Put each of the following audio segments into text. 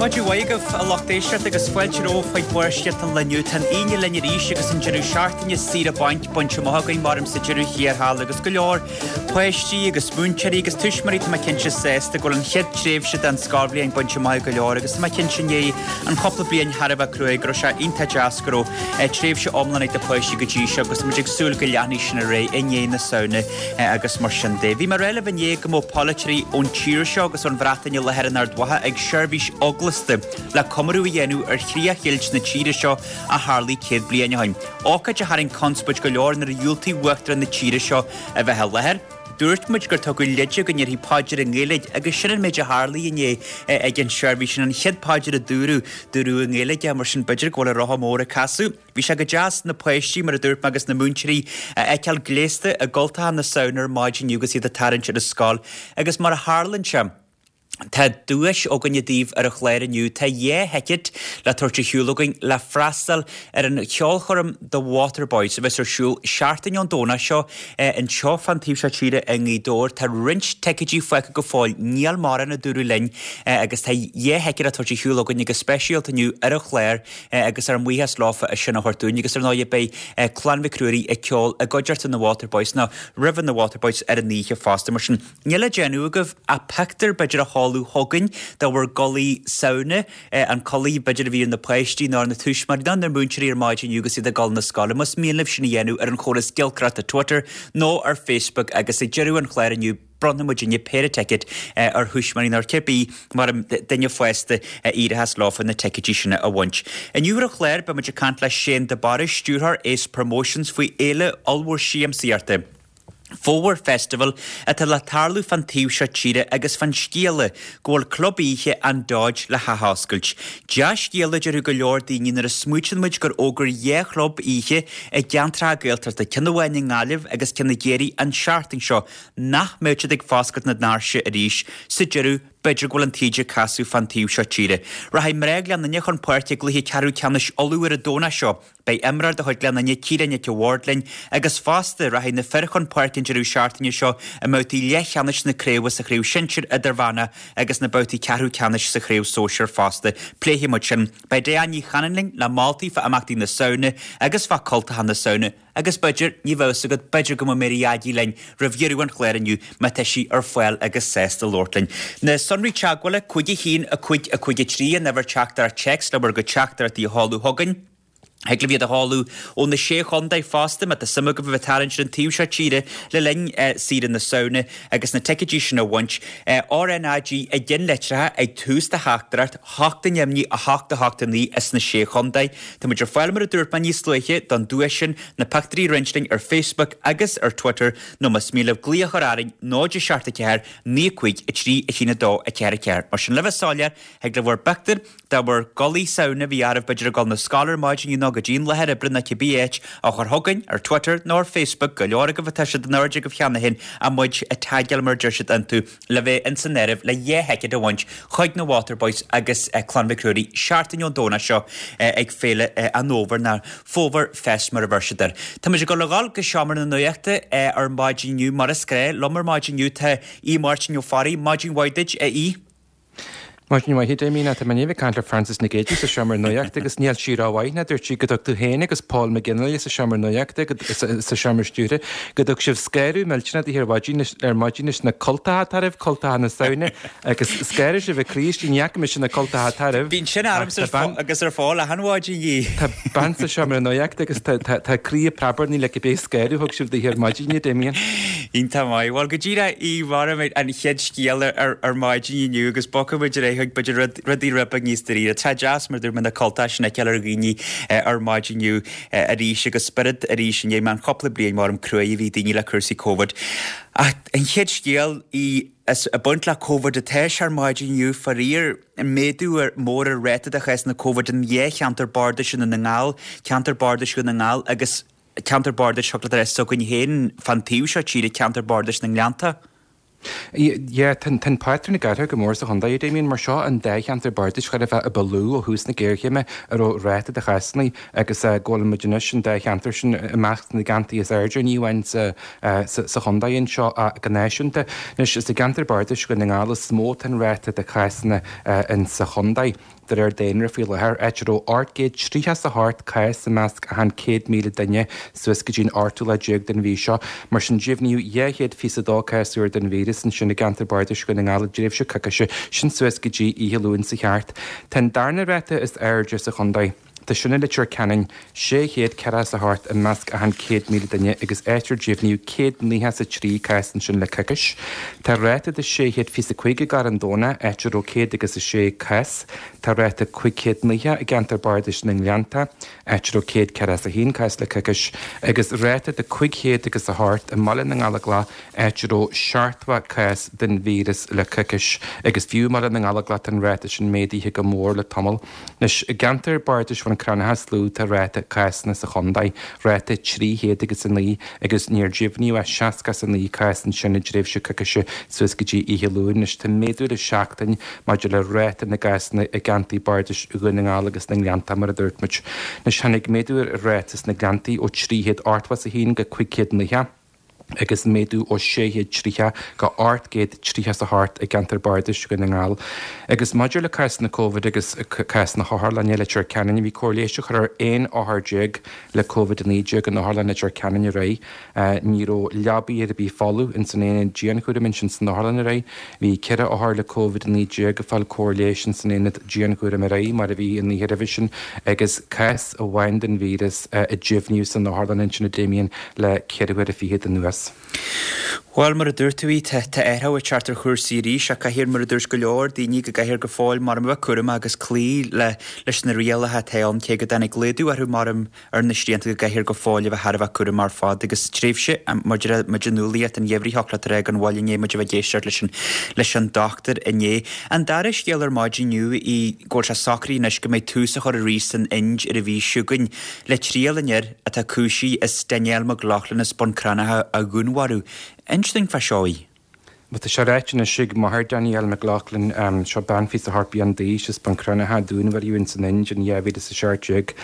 Maidin mhaith agaibh, a lucht éisteachta, agus fáilte romhaibh chuig Barrscéalta an lae inniu. Tá an Aoine linn arís agus an deireadh seachtaine saoire bainc bainte amach againn, maram sa deireadh thiar thall, agus go leor páistí agus múinteoirí agus tuismitheoirí, tá mé cinnte, sásta go bhfuil an chéad tréimhse den scoilbhliain bainte amach ag go leor agus tá mé cinnte i ndiaidh an chúpla bliain thar a bheith cruaidh go raibh sé iontach deas go raibh tréimhse iomlán ag na páistí go dtí seo agus tá muid ag súil go leanfaidh sin ar aghaidh i ndiaidh na Samhna agus mar sin de. Bhí mé ag rá libh inné go mbeadh polaiteoirí ón tír seo agus ón Bhreatain i láthair in Ard Mhacha ag seirbhís eaglasta le comóradh a dhéanamh ar chríochdheighilt na tíre seo a tharlaigh 100 bliain ó shin. Ócáid a tharraing conspóid go leor nuair a dhiúltaigh Uachtarán na tíre seo a bheith i láthair. Dúirt muid gur tugadh leide go ndéarfaí paidir i nGaeilge agus sin an méid a tharlaigh inné ag an seirbhís. Sin an chéad phaidir a dúradh, dúradh i nGaeilge é, mar sin b'fhéidir go bhfuil an rotha mór ag casadh. Bhí sé go deas na páistí, mar a dúirt mé, agus na múinteoirí a fheiceáil gléasta i gcultacha na Samhna ar maidin inniu agus iad ag tarraingt ar an scoil. Agus mar a tharlaíonn sé, tá duais againne daoibh ar an chlár inniu. Tá dhá thicéad le tabhairt ar shiúl againn le freastal ar an cheolchoirm The Waterboys a bheas ar siúl seachtain ón Domhnach seo anseo fán taobh seo tíre i nGaoth Dobhair. Tá roinnt ticéidí fágtha go fóill, níl mórán a dúradh linn, agus tá dhá thicéad le tabhairt ar shiúl againne go speisialta inniu ar an chlár. agus ár mbuíochas leofa as sin a thabhairt dúinn agus ar ndóigh beidh Clann Mhic Ruairí ag ceol i gcuideachta na Waterboys nó roimhe na Waterboys ar an oíche fosta. Mar sin, níl le déanamh agaibh ach pictiúr b'fhéidir a sheoladh chugainn de bhur gculaith Samhna, an culaith b'fhéidir a bhí ar na páistí nó ar na tuismitheoirí nó na múinteoirí ar maidin inniu agus iad ag dul na scoile. Más mian libh sin a dhéanamh ar an chóras giolcaireachta Twitter nó ar Facebook agus ag deireadh an chláir inniu, Bronnfaidh muidinne péire ticéad ar thuismitheoirí nó ar cibé mar duine fásta a éireochas leofa na ticéidí sin a bhaint. Inniu ar an chlár beidh muid ag caint le Shane de Barra, Stiúrthóir Ace Promotions faoi fhéile ollmhór siamsaíochta, Fómhar Festival, atá le tarlú fán taobh seo tíre agus fán scéala go bhfuil club oíche an Dodge le hathoscailt. Dea-scéala a déarfadh go leor daoine nuair a smaoitíonn muid gur fhógair dhá chlub oíche i gceantracha Gaeltachta, ceann amháin i nGaillimh agus ceann i gCiarraí an seachtain seo, nach mbeadh siad ag foscailt na ndoirse arís sa deireadh, b'fhéidir go bhfuil an taoide ag casadh fán taobh seo tíre. Rachaidh mná Ghleann Fhinne chun páirce i gcluiche ceathrú ceannais Uladh ar an Domhnach seo. Beidh imreoir de chuid Ghleann Fhinne, Ciara Nic a' Bhaird linn agus fosta rachaidh na fir chun páirce an deireadh seachtaine seo i mbabhtaí leathcheannais na craoibhe sa Chraobh Shinsir Idirmheánach agus na babhtaí ceathrú ceannais sa Chraobh Sóisir fosta. Pléifidh muid sin. Beidh Diane Ní Chanainn linn le moltaí fá imeachtaí na Samhna agus fá cultacha na Samhna. Agus b'fhéidir, ní bheadh fhios agat, b'fhéidir go mbeidh Mary Aggie linn roimh dheireadh an chláir inniu má tá sí ar fáil agus sásta labhairt linn. Na sonraí teagmhála, 5 1 5 5 3, an uimhir teachtaireacht téacs le bhur gcuid teachtaireachtaí a sheoladh chugainn. Thig libh iad a sheoladh ó na Sé Chontae fosta má tá suim agaibh a bheith ag tarraingt ar an taobh seo tíre le linn saoire na Samhna agus na ticéidí sin a bhaint. RnaG i gceannlitreacha ag tús do theachtaireacht. 8 ainmnigh 8 8 9 as na Sé Chontae. Tá muid ar fáil mar a dúirt mé níos luaithe don duais sin, na pictiúirí a roinnt linn ar Facebook agus ar Twitter nó más mian libh glaoch a chur orainn 0 7 4 9 5 3 1 2 4 4. Mar sin le bheith soiléir, thig libh bhur bpictiúr de bhur gculaith Samhna a bhí oraibh b'fhéidir ag dul na scoile ar maidin inniu nó go dtí an láthair oibre nó cibé áit a chur chugainn ar Twitter nó ar Facebook, go leor agaibh atá siad in airde agaibh cheana féin ach muid a tagáil mar a deir siad iontu. le bheith ins an áireamh le dhá thicéad a bhaint chuig na Waterboys agus Clann Mhic Ruairí seachtain ón Domhnach seo ag Féile an Fhómhair, nó Fómhar Fest mar a bheir siad air. Tá muid ag dul a dhul go seomra na nuachta ar maidin inniu mar is gnáth. Liom ar maidin inniu tá Aodh Máirtín Ó Fearraigh. Maidin mhaith duit, a Aoidh. Maidin mhaith, a Damien. Tá mé i ndiaidh bheith ag caint le Frances Nic Géadaigh sa seomra nuachta agus níl sí rómhaith ná dúirt sí go dtug tú féin agus Paul McGinley sa seomra nuachta sa seomra stiúrtha go dtug sibh scanradh millteanach daoithe ar maidin ar maidin leis na cultacha atá oraibh, cultacha na Samhna agus scanraigh sibh a croí istigh, ní fhaca mise na cultacha atá oraibh. Bíonn sin ormsa agus ar Phól achan mhaidin a Aoidh. Tá bean sa seomra nuachta agus tá a croí ag preabarnaigh le cibé scanradh a thug sibh daoithe ar maidin, a Damien. Iontach maith. Bhuel, go díreach a Aoidh, maram an chéad scéal ar maidin inniu agus bogfaidh muid ar aghaidh chuig b'fhéidir rud, rudaí rud beag níos dáiríre. Tá deas mar dúirt mé na cultacha sin a fheiceáil ar dhaoine ar maidin inniu arís agus spiorad arís i ndiaidh an chúpla bliain maram cruaidh a bhí daoine le cúrsaí Covid. Ach an chéad scéal í is ag baint le Covid atá sé ar maidin inniu, faraor, méadú mór ar ráta de chásanna Covid in dhá cheantar bardais i nDún na nGall, ceantar bardais Dhún na nGall agus ceantar bardais thiocfadh leat a rá s'againn féin fán taobh seo tíre, ceantar bardais na nGleannta. Yeah, tá an pátrún ag athrú go mór sa chontae, a Damien, mar seo an dá cheantar bardais chóir a bheith a ba lú ó thús na géarchéime a raibh ráta de chásanna agus go bhfuil muid anois an dá cheantar sin i measc na gceantaí is airde, ní amháin sa sa chontae anseo ach go náisiúnta. Anois, is i gceantar bardais Dhún na nGall is mó atá an ráta de chásanna in sa chontae. de réir daonra faoi láthair, áit a raibh 838 cás i measc achan 100,000 duine suas go dtí an ochtú lá déag den mhí seo. Mar sin, deimhníodh 222 cás úr den víreas ansin i gceantar bardais Dhún na nGall i dtréimhse coicíse, sin suas go dtí oíche Luain seo thart. Tá an darna ráta is airde sa chontae. Tá sin i Leitir Ceanainn, 648 i measc achan 100,000 duine agus áit ar deimhníodh 193 cás ansin le coicís. Tá ráta de 625 i gCarn Domhnach, áit a raibh céad agus a sé cás. Tá ráta 590 i gceantar bardais na nGleannta, áit a raibh 141 cás le coicís, agus ráta de 508 i mBaile na nGallóglach, áit a raibh 70 cás den víreas le coicís, agus fiú i mBaile na nGallóglach tá an ráta sin méadaithe go mór le tamall. Anois, i gceantar bardais Bhun Cranncha is lú tá ráta cásanna sa chontae, ráta 300 agus 9, agus níor deimhníodh ach 69 cás ansin i dtréimhse coicíse suas go dtí oíche Luain. Anois, tá méadú le seachtain maidir le ráta na gcásanna i gceantair bardais Dhún na nGall agus na nGleannta, mar a dúirt muid. Anois, tháinig méadú ar an ráta sna Gleanntaí ó 381 go 590. agus méadú ó 630 go 838 i gceantar bardais Dhún na nGall. Agus maidir le cásanna Covid agus cás na hotharlainne i Leitir Ceanainn, bhí cóir leighis á chur ar 11 othar le Covid-19 in Otharlann Leitir Ceanainn aréir. Ní raibh leabaí ar bith folamh ins an aonad dianchúraim ansin san otharlann aréir. Bhí 4 othar le Covid-19 ag fáil cóir leighis ins an aonad dianchúraim aréir, mar a bhí an oíche roimhe sin, agus cás amháin den víreas a deimhníodh san otharlann ansin a Damien le ceithre huaire fichead anuas. Bhuel, mar a dúirt tú, tá athrú ag teacht ar chúrsaí arís ach caithfear, mar a dúirt go leor daoine, go gcaithfear go fóill mar a bheith cúramach agus cloí le leis na rialacha atá ann, cé go dtáinig laghdú orthu mar ar na srianta go gcaithfear go fóill a bheith thar a bheith cúramach ar fad agus tréimhse mar a deir muid an nualaíocht an gheimhridh thiocfadh leat a rá gan mhoill i ndiaidh muid a bheith ag éisteacht leis an leis an dochtúir inné. An dara scéal ar maidin inniu í go bhfuil sé socraithe anois go mbeidh tús á chur arís san Ind ar an mhí seo chugainn le triail an fhir atá cúisithe as Danielle McLaughlin as Bun Cranncha a dhúnmharú. Inis dúinn fá seo í. Bhuel, tá sé ráite anois ag máthair Danielle McLaughlin, seo bean 28 bliain d'aois as Bun Cranncha a dúnmharaíodh ins an Ind in 2017,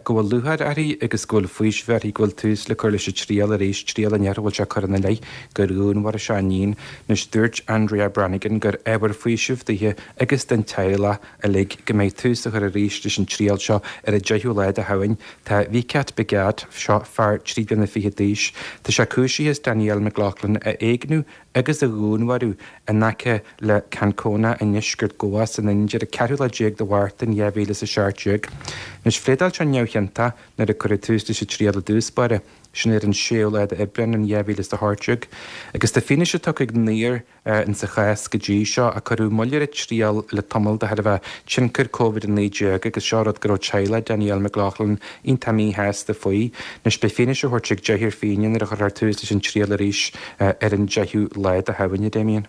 go bhfuil lúcháir uirthi agus go bhfuil faoiseamh uirthi go bhfuil tús le cur leis an triail arís, triail an fhir a bhfuil sé curtha ina leith gur dhúnmharaigh sé a iníon. Anois, dúirt Andrea Brannigan gur ábhar faoisimh daoithe agus don teaghlach uilig go mbeidh tús á chur arís leis an triail seo ar an 10ú lá de Shamhain. Tá Vicat Bhagat, seo fear trí bliana fichead d'aois, tá sé cúisithe as Danielle McLaughlin a éigniú agus a dhúnmharú in aice le Canacona i ndeisceart Goa san Ind ar an ceathrú lá déag de Mhárta in 2017. Anois, phléadáil sé neamhchiontach nuair a cuireadh tús leis an triail i dtús báire, sin ar an séú lá d'Aibreán in 2018, agus tá fianaise tugtha ag naoir in sa chás go dtí seo, ach cuireadh moill ar an triail le tamall de thairbhe tionchar Covid-19 agus seo rud go raibh teaghlach Danielle McLaughlin iontach míshásta faoi. Anois beidh fianaise á thabhairt ag deichniúr finné nuair a chuirfear tús leis an triail arís ar an 10ú lá de Shamhain, a Damien.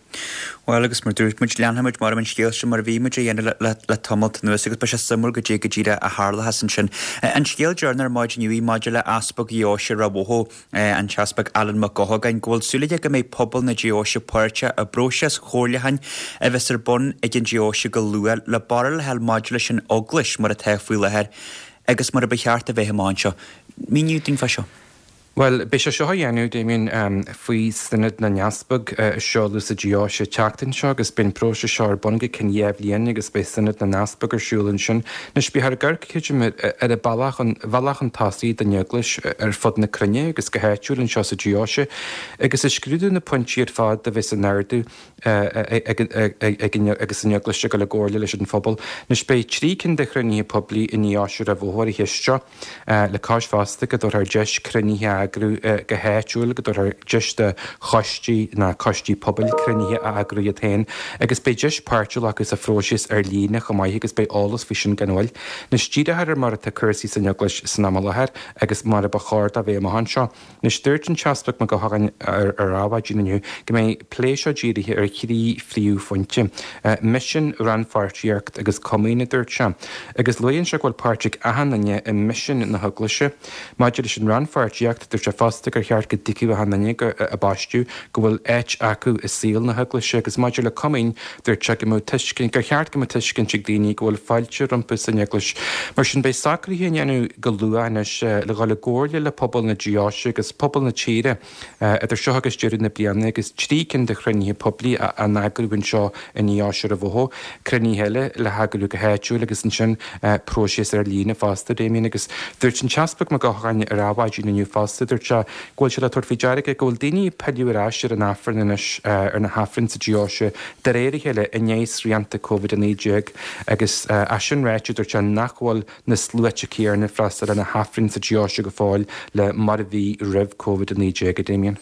Bhuel, agus mar dúirt muid, leanfaidh muid mar an scéal seo mar a bhí muid a dhéanamh le le tamalt anuas agus beidh sé suimiúil goidé go díreach a tharlóchas ansin. An scéal deireanach ar maidin inniu maidir le Easpag Dheoise Ráth Bhoth, an tEaspag Alan Mac Gabhann, go bhfuil súil aige go mbeidh pobal na deoise páirteach i bpróiseas chomhairliúcháin a bheas ar bun ag an deoise go luath le barúil a fháil maidir leis an Eaglais mar atá faoi láthair agus mar a ba cheart a bheith amach anseo. Míniú dúinn fá seo. Bhuel, beidh sé seo á dhéanamh, Damien, faoi Sionad na nEaspag a seoladh sa deoise an tseachtain seo agus beidh an próiseas seo ar bun go ceann 2 bhliain agus beidh Sionad na nEaspag ar siúl ansin. Anois, beifear ag amharc, creidim, ar an bealach chun, bhealach chun tosaigh don Eaglais ar fud na cruinne agus go háitiúil anseo sa deoise, agus ag scrúdú na pointí ar fad a bheas in ardú ag agus an Eaglais ag dul i gcomhairle leis an phobal. Anois, beidh 3 cinn de chruinnithe poiblí i ndeoise Ráth Bhoth ar an cheist seo. Le cois fosta go dtabharfar deis cruinnithe a eagrú go háitiúil, go dtabharfar deis do choistí ná coistí pobail cruinnithe a eagrú iad féin agus beidh deis páirt a ghlacadh sa phróiseas ar líne chomh maith agus beidh eolas faoi sin gan mhoill. Anois díreofar ar mar atá cúrsaí san Eaglais san am i láthair agus mar a ba chóir dó bheith amach anseo. Anois dúirt an tEaspag Mac Gabhann ar Adhmhaidin inniu go mbeidh an plé seo dírithe ar thrí phríomhphointe, misean, rannpháirtíocht agus comaoin, a dúirt sé. Agus luaigh sé go bhfuil páirt ag achan duine i misean na hEaglaise. Maidir leis an rannpháirtíocht, dúirt. Dúirt sé fosta gur cheart go dtuigfeadh achan duine a baisteadh go bhfuil áit acu i saol na hEaglaise agus maidir le comaoin, dúirt sé go mbeadh tuiscint, gur cheart go mbeadh tuiscint ag daoine go bhfuil fáilte rompu san Eaglais. Mar sin beidh socruithe á ndéanamh go luath anois le dhul i gcomhairle le pobal na deoise agus pobal na tíre idir seo agus deireadh na bliana agus 3 cinn de chruinnithe poiblí á n-eagrú anseo i ndeoise Ard an Bhotha, cruinnithe eile le heagrú go háitiúil agus ansin próiseas ar líne fosta, Damien. Agus dúirt an tEaspag Mac Eochagáin ar Adhmhaidin inniu fosta, dúirt sé go bhfuil sé le tabhairt faoi deara aige go bhfuil daoine ag pilleadh ar ais ar an Aifreann anois, ar na hAifrinn sa deoise de réir a chéile i ndiaidh srianta Covid-19 agus é sin ráite dúirt sé nach bhfuil na sluaite céanna ag freastal ar na hAifrinn sa deoise go fóill le mar a bhí roimh Covid-19, a Damien.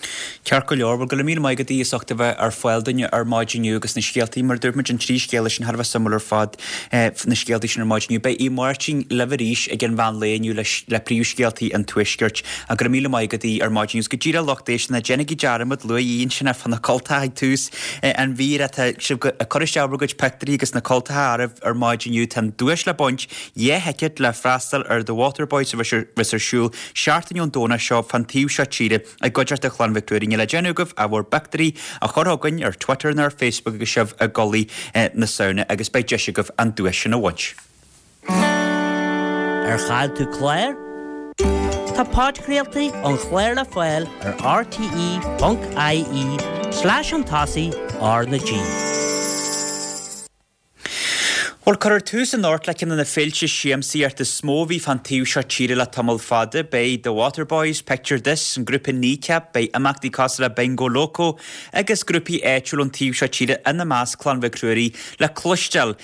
Ceart go leor, bhuel go raibh míle maith agat as ucht a bheith ar fáil dúinn ar maidin inniu agus na scéaltaí, mar a dúirt muid, an trí scéala sin thar a bheith suimiúil ar fad, na scéaltaí sin ar maidin inniu. Beidh Aodh Máirtín libh arís ag an mheán lae inniu le príomhscéaltaí an Tuaiscirt. Ach go raibh míle maith agat Aodh ar maidin inniu. Agus go díreach a lucht éisteachta, ná déanaigí dearmad, luaigh Aodh ansin fá na cultacha ag tús an mhír atá sibh ag cur isteach bhur gcuid pictiúirí agus na cultacha oraibh ar maidin inniu. Tá an duais le baint, 2 thicéad le freastal ar The Waterboys a bheas ar siúl seachtain ón Domhnach seo fán taobh seo tíre i gcuideachta Chlann Mhic Ruairí. Níl le déanamh agaibh ach bhur bpictiúirí a chur chugainn ar Twitter nó ar Facebook agus sibh i gculaith na Samhna agus beidh deis agaibh an duais sin a bhaint. Ar chaill tú clár? Tá podchraoltaí an chláir le fáil ar rte.ie slash chun tosaigh R na G. Bhuel, cuirfear tús anocht le ceann de na féilte siamsaíochta is mó a bhí fán taobh seo tíre le tamall fada. Beidh The Waterboys, Picture This, an grúpa Kneecap, beidh imeachtaí cosúil le Bingo Loco agus grúpaí áitiúil ón taobh seo tíre, ina measc Clann Mhic Ruairí, le cloisteáil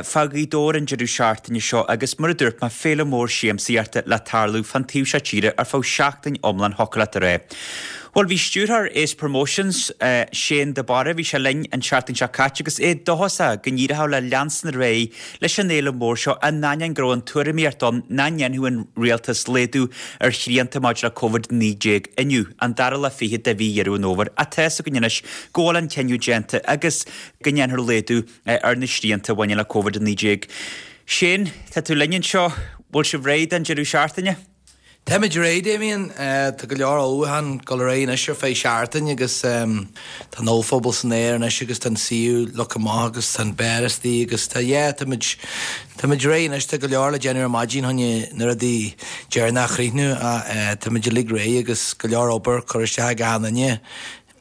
fá Ghaoth Dobhair an deireadh seachtaine seo agus, mar a dúirt mé, féile mór siamsaíochta le tarlú fán taobh seo tíre ar feadh seachtain iomlán, thiocfadh leat a rá. Bhuel, bhí stiúrthóir Ace Promotions, Shane de Barra, bhí sé linn an tseachtain seo caite agus é dóchasach go n-éireodh le leanstan ar aghaidh leis an fhéile mhór seo in ainneoin go raibh an tuairimíocht ann nach ndéanfadh an rialtas laghdú ar shrianta maidir le Covid-19 inniu, an dara lá fichead de mhí Dheireadh an Fhómhair. Ach tá's againn anois go bhfuil an cinneadh déanta agus go ndéanfar laghdú ar na srianta a bhaineann le Covid-19. Shane, tá tú linn anseo, bhfuil sibh réidh don deireadh seachtaine? Táimid réidh, Damien. Tá go leor ullmhúchán ag dul ar aghaidh anois ar feadh seachtain agus tá an ollphuball san aer anois agus tá an suíomh leagtha amach agus tá an beár istigh agus tá, yeah, táimid, táimid réidh anois. Tá go leor le déanamh ar maidin chun na rudaí deireanacha a chríochnú ach táimid uilig réidh agus go leor obair curtha isteach ag achan duine.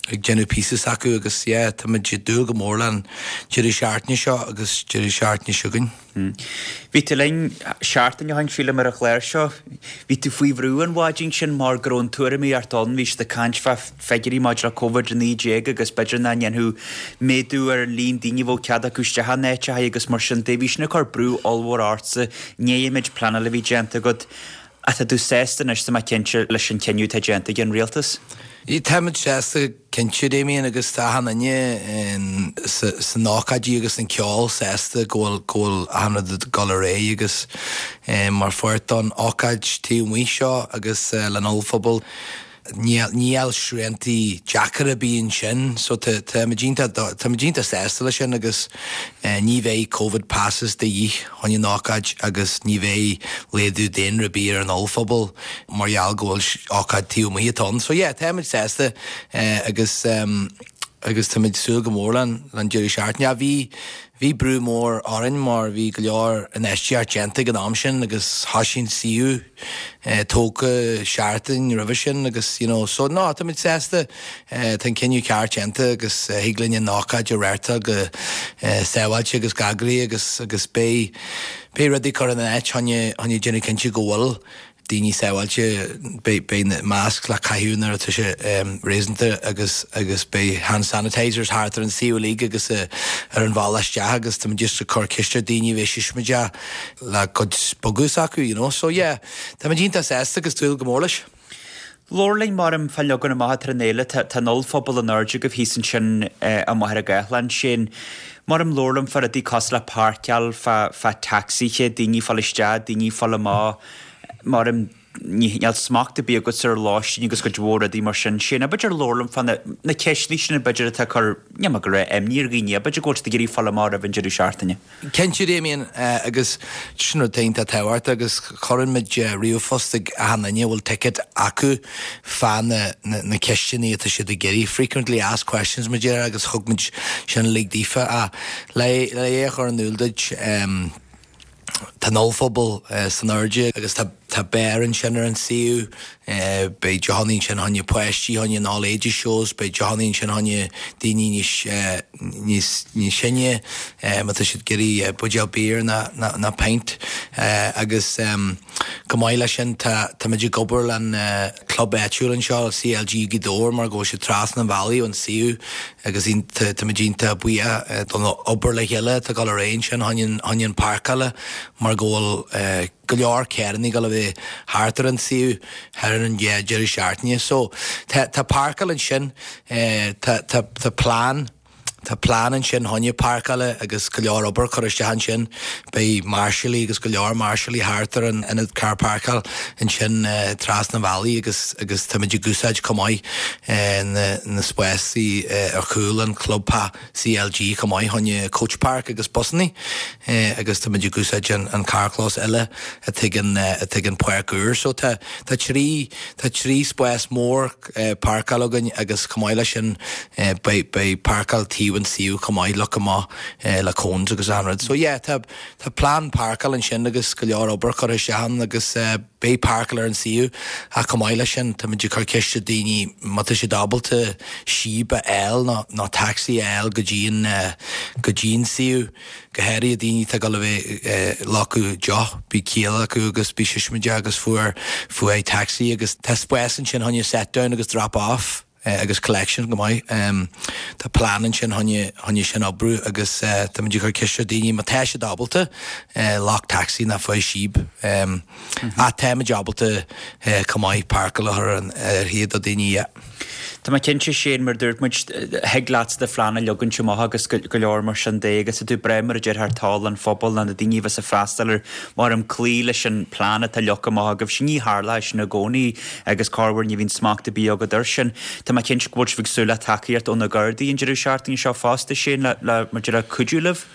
ag déanamh píosa s'acu agus yeah táimid ag dúil go mór leis an deireadh seachtaine seo agus deireadh seachtaine seo chugainn. Bhí tú linn seachtain ó shin sílim ar an chlár seo. Bhí tú faoi bhrú an mhaidin sin mar go raibh an tuairimíocht ann, bhí siad ag caint fá figiúirí maidir le Covid-19 agus b'fhéidir nach ndéanfadh méadú ar an líon daoine a bheadh cead acu isteach in áiteacha agus mar sin de. Bhí sin ag cur brú ollmhór ortsa i ndiaidh an méid pleanála a bhí déanta agat. Ach tá tú sásta anois, tá mé cinnte, leis an chinneadh atá déanta ag an rialtas? Táimid sásta cinnte, Damien, agus tá achan duine san ócáidí agus an ceol sásta go bhfuil go bhfuil achan rud ag dul ar aghaidh agus mar pháirt don ócáid taobh amuigh seo agus len ollphuball. Níl sriantaí deacair ar bith ansin so táimid iontach táimid iontach sásta leis sin agus ní bheidh Covid passes de dhíth chun an ócáid agus ní bheidh laghdú daonra ar bith ar an ollphuball mar gheall go bhfuil ócáid taobh amuigh atá ann. So yeah táimid sásta agus agus táimid ag súil go mór len len deireadh seachtaine. Bhí bhí brú mór orainn mar bhí go leor infheistíocht déanta ag an am sin agus thosaigh an suíomh tógtha seachtain roimhe sin agus you know so no táimid sásta tá an cinneadh ceart déanta agus thig linn an ócáid a reáchtáil go sábháilte agus go heagraithe agus agus beidh beidh rudaí curtha ina áit chun chun déanamh cinnte go bhfuil daoine sábháilte, beidh beidh na masks le caitheamh nuair atá sé réasúnta agus agus beidh hand sanitisers thart ar an suíomh uilig agus ar an bhealach isteach agus táimid just ag cur ceist ar daoine a bheith siosmaideach le cuid bogadh s'acu, you know. So yeah, táimid iontach sásta agus dúil go mór leis. Labhair linn mar fán leagan amach atá ar an fhéile, tá an ollphuball in airde agaibh thíos ansin i Machaire Gathlán. Shane, mar labhair liom fá rudaí cosúil le páirceáil, fá, fá tacsaithe, daoine ag fáil isteach, daoine ag fáil amach, mar. Níl smacht ar bith agatsa ar lóistín agus cuid mhór rudaí mar sin. Shane, b'fhéidir labhair liom fá na ceisteanna sin b'fhéidir atá ag cur, ní mar go raibh imní ar dhaoine, b'fhéidir go bhfuil siad ag iarraidh fáil amach roimh an deireadh seachtaine. Cinnte, Damien, agus sin rud iontach tábhachtach agus cuireann muid ríomhphost ag achan duine a bhfuil ticéad acu fá na na ceisteanna atá siad ag iarraidh, frequently asked questions mar a déarfá agus thug muid sin uilig daofa. Ach le é a chur in iúl duit, Tá an ollphuball san airde agus tá tá beár ansin ar an suíomh. Beidh deochannaí ansin fá choinne páistí, fá choinne an all ages shows, beidh deochannaí ansin fá choinne daoine níos níos níos sine má tá siad ag iarraidh buidéal beer nó nó pint. Agus chomh maith leis sin tá táimid ag obair le an club áitiúil anseo, CLG Gaoth Dobhair mar go bhfuil siad trasna an bhealaigh ón suíomh. Agus táimid iontach buíoch don obair le chéile atá ag dul ar aghaidh ansin fá choinne an páirceála mar go bhfuil go leor carrannaí ag dul a bheith thart ar an suíomh thar an dhá deireadh seachtaine. So tá tá páirceáil ansin, tá tá tá plean tá plean ansin fá choinne páirceála agus go leor obair curtha isteach ansin. Beidh máirseálaí agus go leor máirseálaí thart ar an ionad carr páirceáil ansin trasna an bhealaigh agus agus táimid ag úsáid chomh maith na na spásaí ar chúl an chlub CLG chomh maith fá choinne coach park agus busannaí agus táimid ag úsáid an an carrchlós eile atá ag an atá ag an páirc úr. So tá tá trí tá trí spás mór páirceála againn agus chomh maith leis sin beidh beidh páirceáil taobh an suíomh chomh maith leagtha amach le cones agus achan rud. So yeah tá tá plean páirceála ansin agus go leor obair curtha isteach ann agus beidh páirceáil ar an suíomh ach chomh maith leis sin táimid ag cur ceist ar daoine má tá siad ábalta síob a fháil nó nó taxi a fháil go dtí an go dtí an suíomh. Go háirithe daoine atá ag dul a bheith ag glacadh deoch, bíonn ciall acu agus bíonn siosmaideach agus fuar fúthu taxi agus tá spás ansin fá choinne set down agus drop off agus collection go maith. Tá plean ansin fá choinne fá choinne sin oibriú agus táimid ag cur ceist ar daoine má tá siad ábalta glac taxi nó faigh síob. Ach táimid ábalta chomh maith páirceáil a chur ar áirithe do daoine, yeah. Tá mé cinnte, Shane, mar a dúirt muid, thig leatsa do phlean a leagaint amach agus go leor mar sin de agus tá tú breá mar a déarfá ar toil an phobail nó na daoine a bheas ag freastal air mar am cloí leis an plean atá leagtha amach agaibh. Ní tharlóidh sin i gcónaí agus corruair ní bhíonn smacht ar bith agat air sin. Tá mé cinnte go bhfuil sibh ag súil le tacaíocht ó na Gardaí an deireadh seachtaine seo fosta, Shane, le le mar a déarfá cuidiú libh.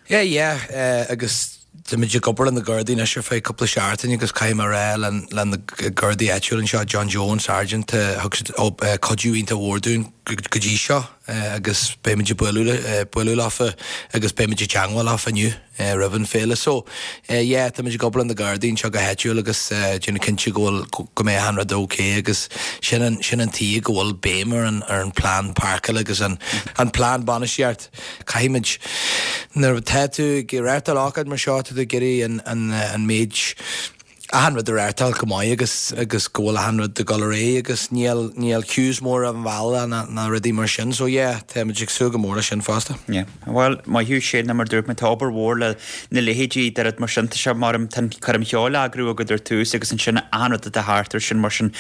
Yeah, yeah, agus táimid ag obair le na Gardaí anois ar feadh cúpla seachtain agus caithfidh mé a rá le le na Gardaí áitiúil anseo, John Joe an Sergeant, thug siad cuidiú iontach mhór dúinn go dtí seo agus beimid ag bualadh bualadh leofa agus beimid ag teangmháil leofa inniu roimh an féile. So, yeah, táimid ag obair le na Gardaí anseo go háitiúil agus déanamh cinnte go bhfuil go mbeidh achan rud ok agus sin an sin an tuige go bhfuil béim ar an ar an plean páirceála agus an an plean bainistíocht. Caithfimid, nuair atá tú ag reáchtáil ócáid mar seo, tá tú ag iarraidh an méid, achan rud a reáchtáil go maith agus agus go bhfuil achan rud ag dul ar aghaidh agus níl níl queues mór ar an bhealach ná ná rudaí mar sin. So yeah, táimid ag súil go mór leis sin fosta. Yeah. Bhuel, maith thú Shane, mar dúirt mé, tá obair mhór le na leithéidí de rud mar sin, tá sé mar tá an choirm cheoil á eagrú agat ar tús agus ansin achan rud atá thart ar sin mar sin,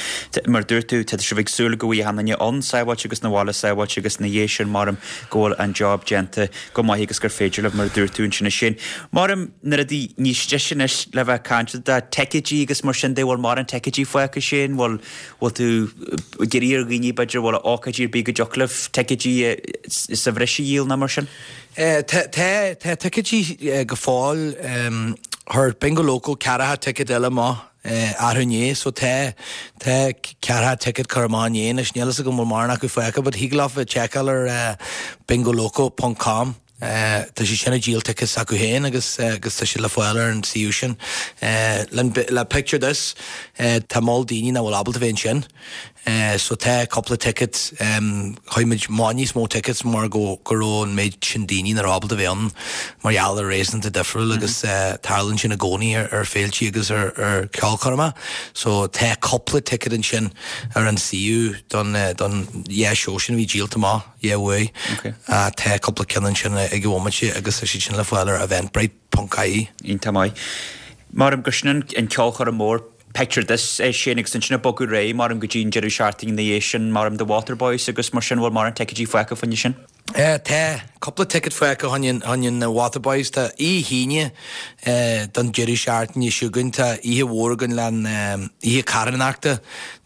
mar dúirt tú, tá sibh ag súil go bhfaighidh achan duine ann sábháilte agus na bhaile sábháilte agus ina dhiaidh sin mar go bhfuil an job déanta go maith agus gur féidir libh, mar a dúirt tú ansin a Shane. Maram na rudaí níos deise anois le bheith ag caint de ticéidí agus mar sin de, bhfuil mórán ticéidí fágtha Shane, bhfuil, bhfuil tú ag iarraidh ar dhaoine b'fhéidir, bhfuil ócáidí ar bith go dtiocfadh libh ticéidí sa bhreis a dhíol nó mar sin? Tá, tá, tá ticéidí go fóill. Chuir Bingo Loco ceathracha ticéad eile amach. Arú inné so tá tá ceathracha ticket curtha amach inné anois níl fhios agam bhfuil mórán acu fágtha but thig leofa tseiceáil ar bingoloco ponc com tá siad sin ag díol tickets acu féin agus agus tá siad le fáil ar an suíomh sin. Le Picture This tá moll daoine nach bhfuil ábalta bheith ansin. So tá cúpla ticket, chuir muid amach níos mó tickets mar go go raibh an méid sin daoine nach raibh ábalta bheith ann mar gheall ar réasúnta difriúil agus tarlaíonn sin i gcónaí ar ar féiltí agus ar ar ceolchoirmeacha. So tá cúpla ticket ansin ar an suíomh don don dhá seó sin a bhí díolta amach dhá uair. Tá cúpla ceann ansin ag an bhomaite agus tá siad sin le fáil ar Eventbrite ponc ie. Iontach maith. Maram gur sin an ceolchoirm mór. Picture This é sin agus ansin ag bogadh ar aghaidh maram go dtí an deireadh seachtaine ina dhiaidh sin maram The Waterboys agus mar sin bhfuil mórán ticéidí fágtha fá choinne sin? Tá cúpla ticket fágtha fá choinne na Waterboys. Tá oíche hAoine don deireadh seachtaine seo chugainn. Tá oíche mhór againn le an oíche carthanachta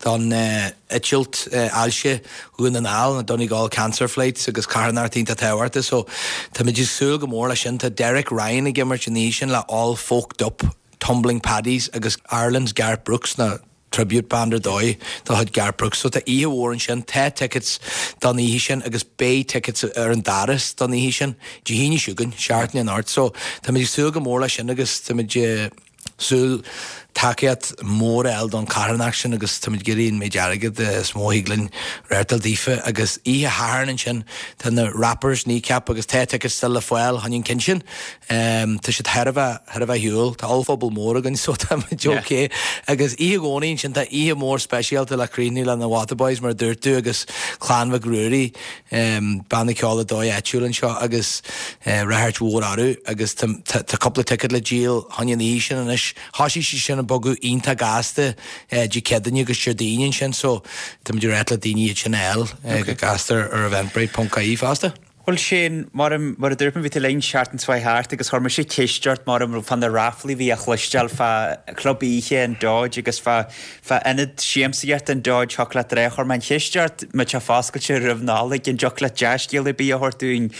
don eitilt ailse Dhún na nGall, na Donegal Cancer Flights agus carthanacht iontach tábhachtach. So táimid ag súil go mór leis sin. Tá Derek Ryan ag imirt an oíche sin le All Folked Up, Tumbling Paddies agus Ireland's Garth Brooks na tribute band ar dóigh de chuid Garth Brooks. So tá oíche mhór ansin, tá tickets don oíche sin agus beidh tickets ar an doras don oíche sin, Dé hAoine seo chugainn, seachtain anocht. So táimid ag súil go mór leis sin agus táimid ag súil tacaíocht mhór a fháil don charthanacht sin agus táimid ag iarraidh an méid airgead is mó a thig linn reáchtáil daofa. Agus oíche Shathairn ansin tá na Rappers Kneecap agus tá tickets still le fáil chun an cinn sin. Tá siad thar a bheith, thar a bheith shiúl. Tá ollphuball mór againn so tá muid ok. Agus oíche Dhomhnaigh ansin tá oíche mhór speisialta le críochnú le na Waterboys mar a dúirt tú agus Clann Mhic Ruairí, banna ceoil ar dóigh áitiúil anseo agus ráchairt mhór orthu agus tá, tá cúpla ticket le díol fá choinne an oíche sin anois. Thosaigh siad sin ag bogadh iontach gasta Dé Céadaoine agus Déardaoin ansin so tá muid ag ráit le daoine iad sin a fháil go gasta ar eventbrite ponc ie fosta. Bhuel Shane, mar mar a dúirt mé, bhí tú linn seachtain seo chuaigh thart agus chuir mise ceist ort mar fá na ráflaí a bhí á chloisteáil fá chlub oíche an Dodge agus fá fá ionad siamsaíochta an Dodge thiocfadh leat a rá, chuir mé an cheist ort má tá foscailte roimh Nollaig, an dtiocfadh leat dea-scéal ar bith a thabhairt dúinn.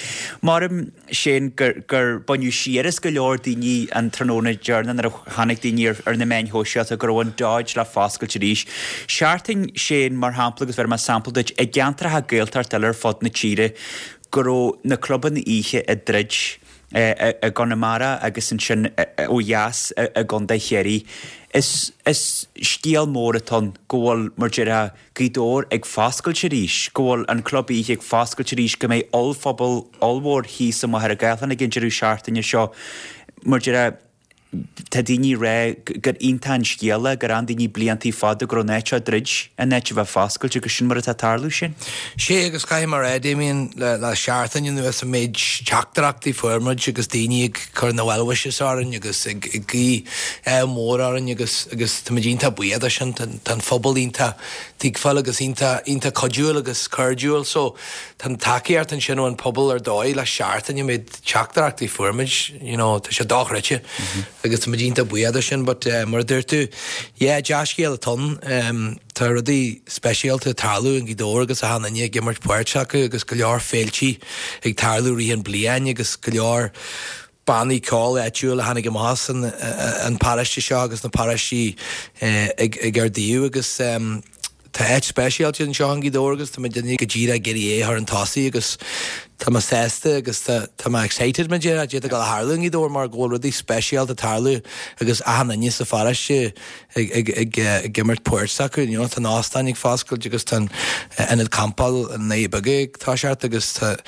Mar Shane gur gur baineadh siar as go leor daoine an tráthnóna deireanach nuair a chonaic daoine ar ar na meáin shóisialta go raibh an Dodge le foscailt arís. Seachtain Shane, mar shampla, agus bhéarfaidh mé sampla duit, i gceantracha Gaeltachta eile ar fud na tíre go raibh na clubanna oíche ag druid i gConamara agus ansin ó dheas i gContae Chiarraí. Is is scéal mór atá ann go bhfuil, mar déarfá, Gaoth Dobhair ag foscailt arís, go bhfuil an club oíche ag foscailt arís, go mbeidh ollphuball ollmhór thíos i Machaire Gathlán ag an deireadh seachtaine seo. Mar déarfá, tá daoine ag rá gur iontach an scéal é, gur fhan daoine bliantaí fada go raibh an áit seo ag druid, in áit a bheith foscailte agus sin mar atá ag tarlú sin. Sé agus caithfidh mé a rá, Damien, le seachtain anuas an méid teachtaireachtaí fuair muid agus daoine ag cur na well wishes orainn agus ag guí ádh mór orainn agus agus táimid iontach buíoch de sin. Tá an phobal iontach tuigbheáil agus iontach iontach cuidiúil agus cairdiúil so tá an tacaíocht ansin ón phobal ar dóigh le seachtain an méid teachtaireachtaí fuair muid you know tá sé dochreidte agus táimid iontach buíoch de sin but mar a dúirt tú yeah dea-scéal atá ann. Tá rudaí speisialta ag tarlú i nGaoth Dobhair agus achan duine ag imirt páirt acu agus go leor féiltí ag tarlú rith an bliain agus go leor bannaí ceoil áitiúil a tháinig amach as an paróiste seo agus na paróistí ag ag ár dtaobh agus tá áit speisialta anseo i nGaoth Dobhair agus tá muid go díreach ag iarraidh é a chur chun tosaigh agus tá mé sásta agus tá tá mé excited mar déarfá cad é atá ag dul a tharlú i nGaoth Dobhair mar go bhfuil rudaí speisialta ag tarlú agus achan duine sa pharóiste ag imirt páirt s'acu. You know, tá an óstán ag foscailt agus tá an ionad campáil i nDoirí Beaga ag toiseacht agus tá,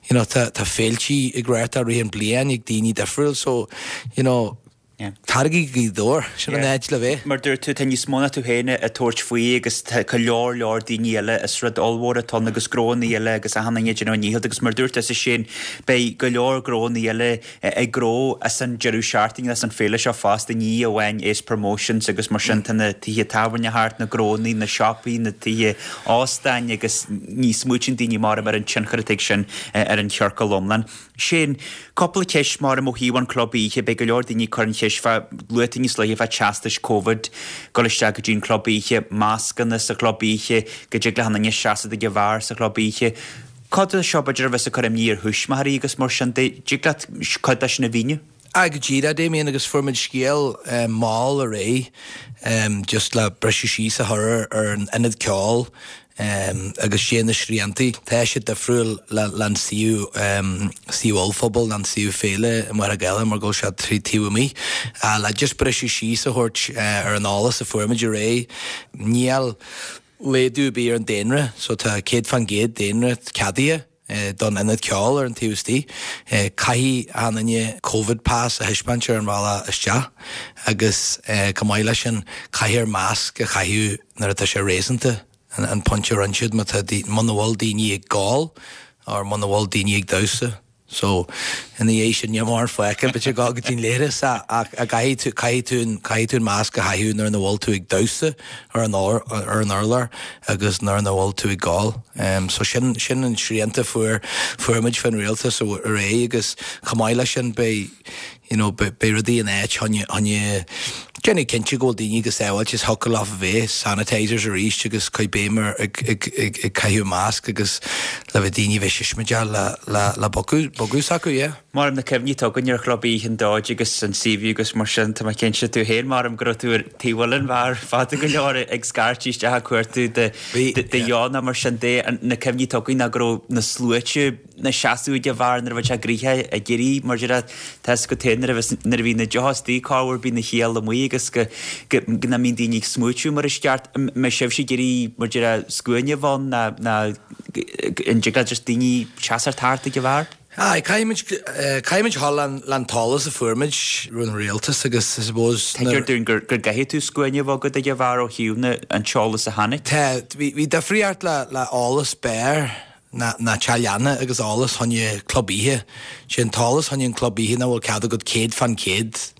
you know, tá, tá féiltí ag reáchtáil rith an bliain ag daoine difriúil so, you know, Yeah. Taraigí go Gaoth Dobhair, sin an áit le bheith. Mar dúirt tú, tá níos mó ná tú féin ag tabhairt faoi agus tá go leor leor daoine eile, is rud ollmhór atá ann agus gnóanna eile agus achan duine ag déanamh a ndícheall agus mar dúirt tusa Shane, beidh go leor gnóanna eile ag gnó as an deireadh seachtaine as an féile seo fosta, ní amháin Ace Promotions agus mar sin tá na tithe tábhairne thart, na gnóanna, na siopaí, na tithe óstáin agus ní smaoitíonn daoine mórán ar an tionchar atá ag sin ar an chiorcal iomlán. Shane, cúpla ceist mar ó thaobh an club oíche, beidh go leor daoine ag cur an cheist fá, luaigh tú níos luaithe fá teastais Covid, dul isteach go dtí an club oíche, mascanna sa chlub oíche, go dtig le haon duine seasamh ag an bheár sa chlub oíche. Cuid de seo b'fhéidir a bheas ag cur imní ar thuismitheoirí agus mar sin de. Dtig leat cuid de sin a mhíniú? Aye, go díreach, Damien, agus fuair muid scéal mall aréir just le briseadh síos a chur ar an ionad ceoil agus sé na sriantaí. Tá sé difriúil le an suíomh, suíomh ollphuball, an suíomh féile i Machaire Gathlán mar go bhfuil sé trí taobh amuigh. Le just briseadh síos a thabhairt ar an eolas a fuair muid aréir, níl laghdú ar bith ar an daonra, so tá 100% daonra ceadaithe don ionad ceoil ar an taobh istigh. Caithfidh achan duine Covid pass a thaispeáint ar an bhealach isteach agus chomh maith leis sin caithfear masc a chaitheamh nuair atá sé réasúnta, an pointe a rinne siad, má tá, muna bhfuil daoine ag gol or muna bhfuil daoine ag damhsa. So, ina dhiaidh sin, níl mórán fágtha, b'fhéidir dul go dtí an leithreas ach caithfidh tú, caithfidh tú an, caithfidh tú an masc a chaitheamh nuair nach bhfuil tú ag damhsa ar an ar an urlár agus nuair nach bhfuil tú ag gol. So sin, sin an srianta a fuair, fuair muid fán rialtas aréir agus chomh maith leis sin beidh, you know, beidh rudaí in áit chun, chun déanamh cinnte go bhfuil daoine go sábháilte is thiocfadh leofa bheith, sanitisers arís agus cuir béim ar ag, ag, ag, ag caitheamh masc agus le bheith daoine bheith siosmaideach le, le, le bogadh, bogadh s'acu, yeah. Maram na cuimhní atá againn ar chlub oíche an Dodge agus an Seaview agus mar sin, tá mé cinnte tú féin maram go raibh tú ar taobh an bheáir fada go leor ag scairteadh isteach ag cuartú do, do dheonach mar sin de, na cuimhní atá againn ná go raibh na sluaite, 'na seasamh ag an bheár nuair a bheadh sé gnoitheach ag éirí mar déarfá tá 'fhios agat féin nuair a bheas nuair a bhí na deocha istigh corruair bíonn an chiall amuigh agus go go go nach mbíonn daoine ag smúitiú mar is ceart. An mbeidh sibhse ag iarraidh mar déarfá scuaine a bheith ann ná ná an dtig le just daoine seasamh thart ag an bheár? Aye, caithfimid caithfimid dhul le'n le'n t-eolas a fuair muid ón rialtas agus I suppose Tuigtear dúinn gur gur gcaithfidh tú scuaine a bheith agat ag an bheár ó thaobh na an t-eolas a tháinig. Tá, bhí bhí difríocht le le eolas beáir ná teach leanna agus eolas fá choinne club oíche. Sé an t-eolas fá choinne an club oíche ná bhfuil cead agat 100%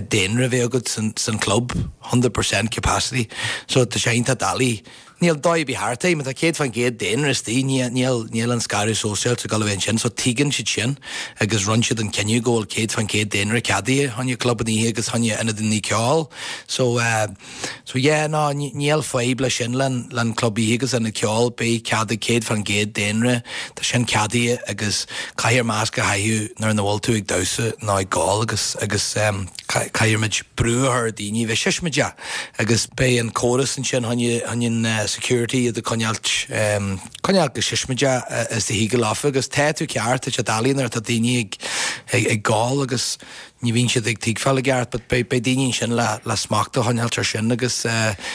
daonra bheith agat san club, 100% capacity. So tá sé iontach doiligh. Níl dóigh ar bith thart é, má tá 100% daonra istigh níl níl an scaradh sóisialta ag dul a bheith ansin. So tuigeann siad sin agus rinne siad an cinneadh go bhfuil 100% daonra ceadaithe fá choinne clubanna oíche agus fá choinne ionadanna ceoil. So eh. So yeah, no, níl fadhb leis sin le'n club oíche agus ionad ceoil, beidh cead ag 100% daonra, tá sin ceadaithe agus caithfear masc a chaitheamh nuair nach bhfuil tú ag damhsa nó ag gol agus, agus ehm caithfidh muid brú a chur ar daoine bheith siosmaideach agus beidh an córas ansin chun, chun an security iad a coinneáilt ehm coinneáilt go siosmaideach is a thig leofa agus tá tú ceart, tá sé doiligh nuair atá daoine ag, ag, ag gol agus Ní bhíonn siad ag tuigbheáil i gceart but beidh beidh daoine ansin le le smacht a choinneáilt ar sin agus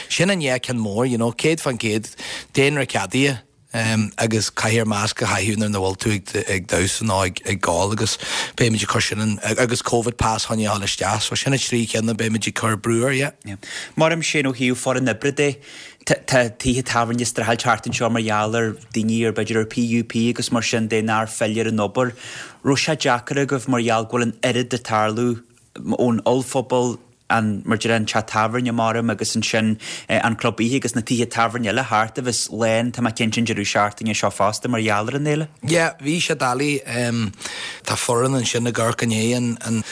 sin an dhá ceann mór you know 100% daonra ceadaithe agus caithfear masc a chaitheamh nuair nach bhfuil tú ag ag damhsa nó ag ag gol agus beimid ag cur sin in agus Covid pass chun a dhul isteach so sin na trí cheann a beimid ag cur brú air yeah. Yeah. Maram Shane ó thaobh foireann oibre de, Tá tithe tábhairne ag streachailt thart anseo mar gheall ar daoine ar b'fhéidir ar PUP agus mar sin de nár phill ar an obair. Raibh sé deacair agaibh mar gheall go bhfuil an oiread ag tarlú ón ollphuball, an, mar deir an teach tábhairne maram agus ansin an club oíche agus na tithe tábhairne eile thart a bheas lán, tá mé cinnte an deireadh seachtaine seo fosta mar gheall ar an fhéile. Yeah, bhí sé doiligh. Tá foireann ansin ag amharc i ndiaidh an, an,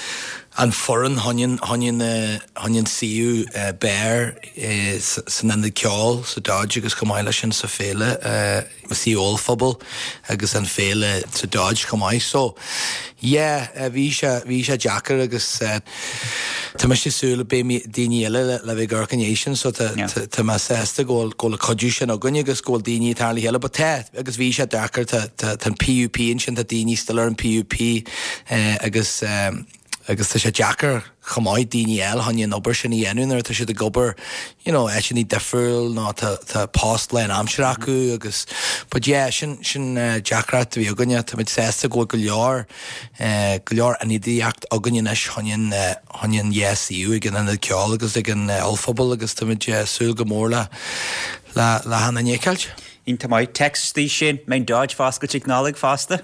an foireann chun an, chun an suíomh beáir san ionad ceoil sa Dodge agus chomh maith leis sin sa féile suíomh ollphuball agus an féile sa Dodge chomh maith. So yeah bhí sé bhí sé deacair agus tá mise ag súil beidh daoine eile le bheith ag amharc i ndiaidh sin so tá tá mé sásta go bhfuil go bhfuil an cuidiú sin againn agus go bhfuil daoine ag tarraingt le chéile but tá agus bhí sé deacair tá tá tá an PUP ansin tá daoine still ar an PUP agus Agus tá sé deacair chomh maith daoine a fháil chun an obair sin a dhéanamh nuair atá siad ag obair you know áiteanna difriúil nó tá tá post lán-aimsire acu agus but yeah sin sin deacracht a bhí againne. Tá muid sásta go bhfuil go leor go leor ionadaíocht againn anois chun an chun an dhá suíomh ag an Ionad Ceoil agus ag an Ollphuball agus tá muid súil go mór le le le achan duine a fheiceáilt. Iontach maith. Text istigh Shane, mbeidh an Dodge foscailte ag Nollaig fosta?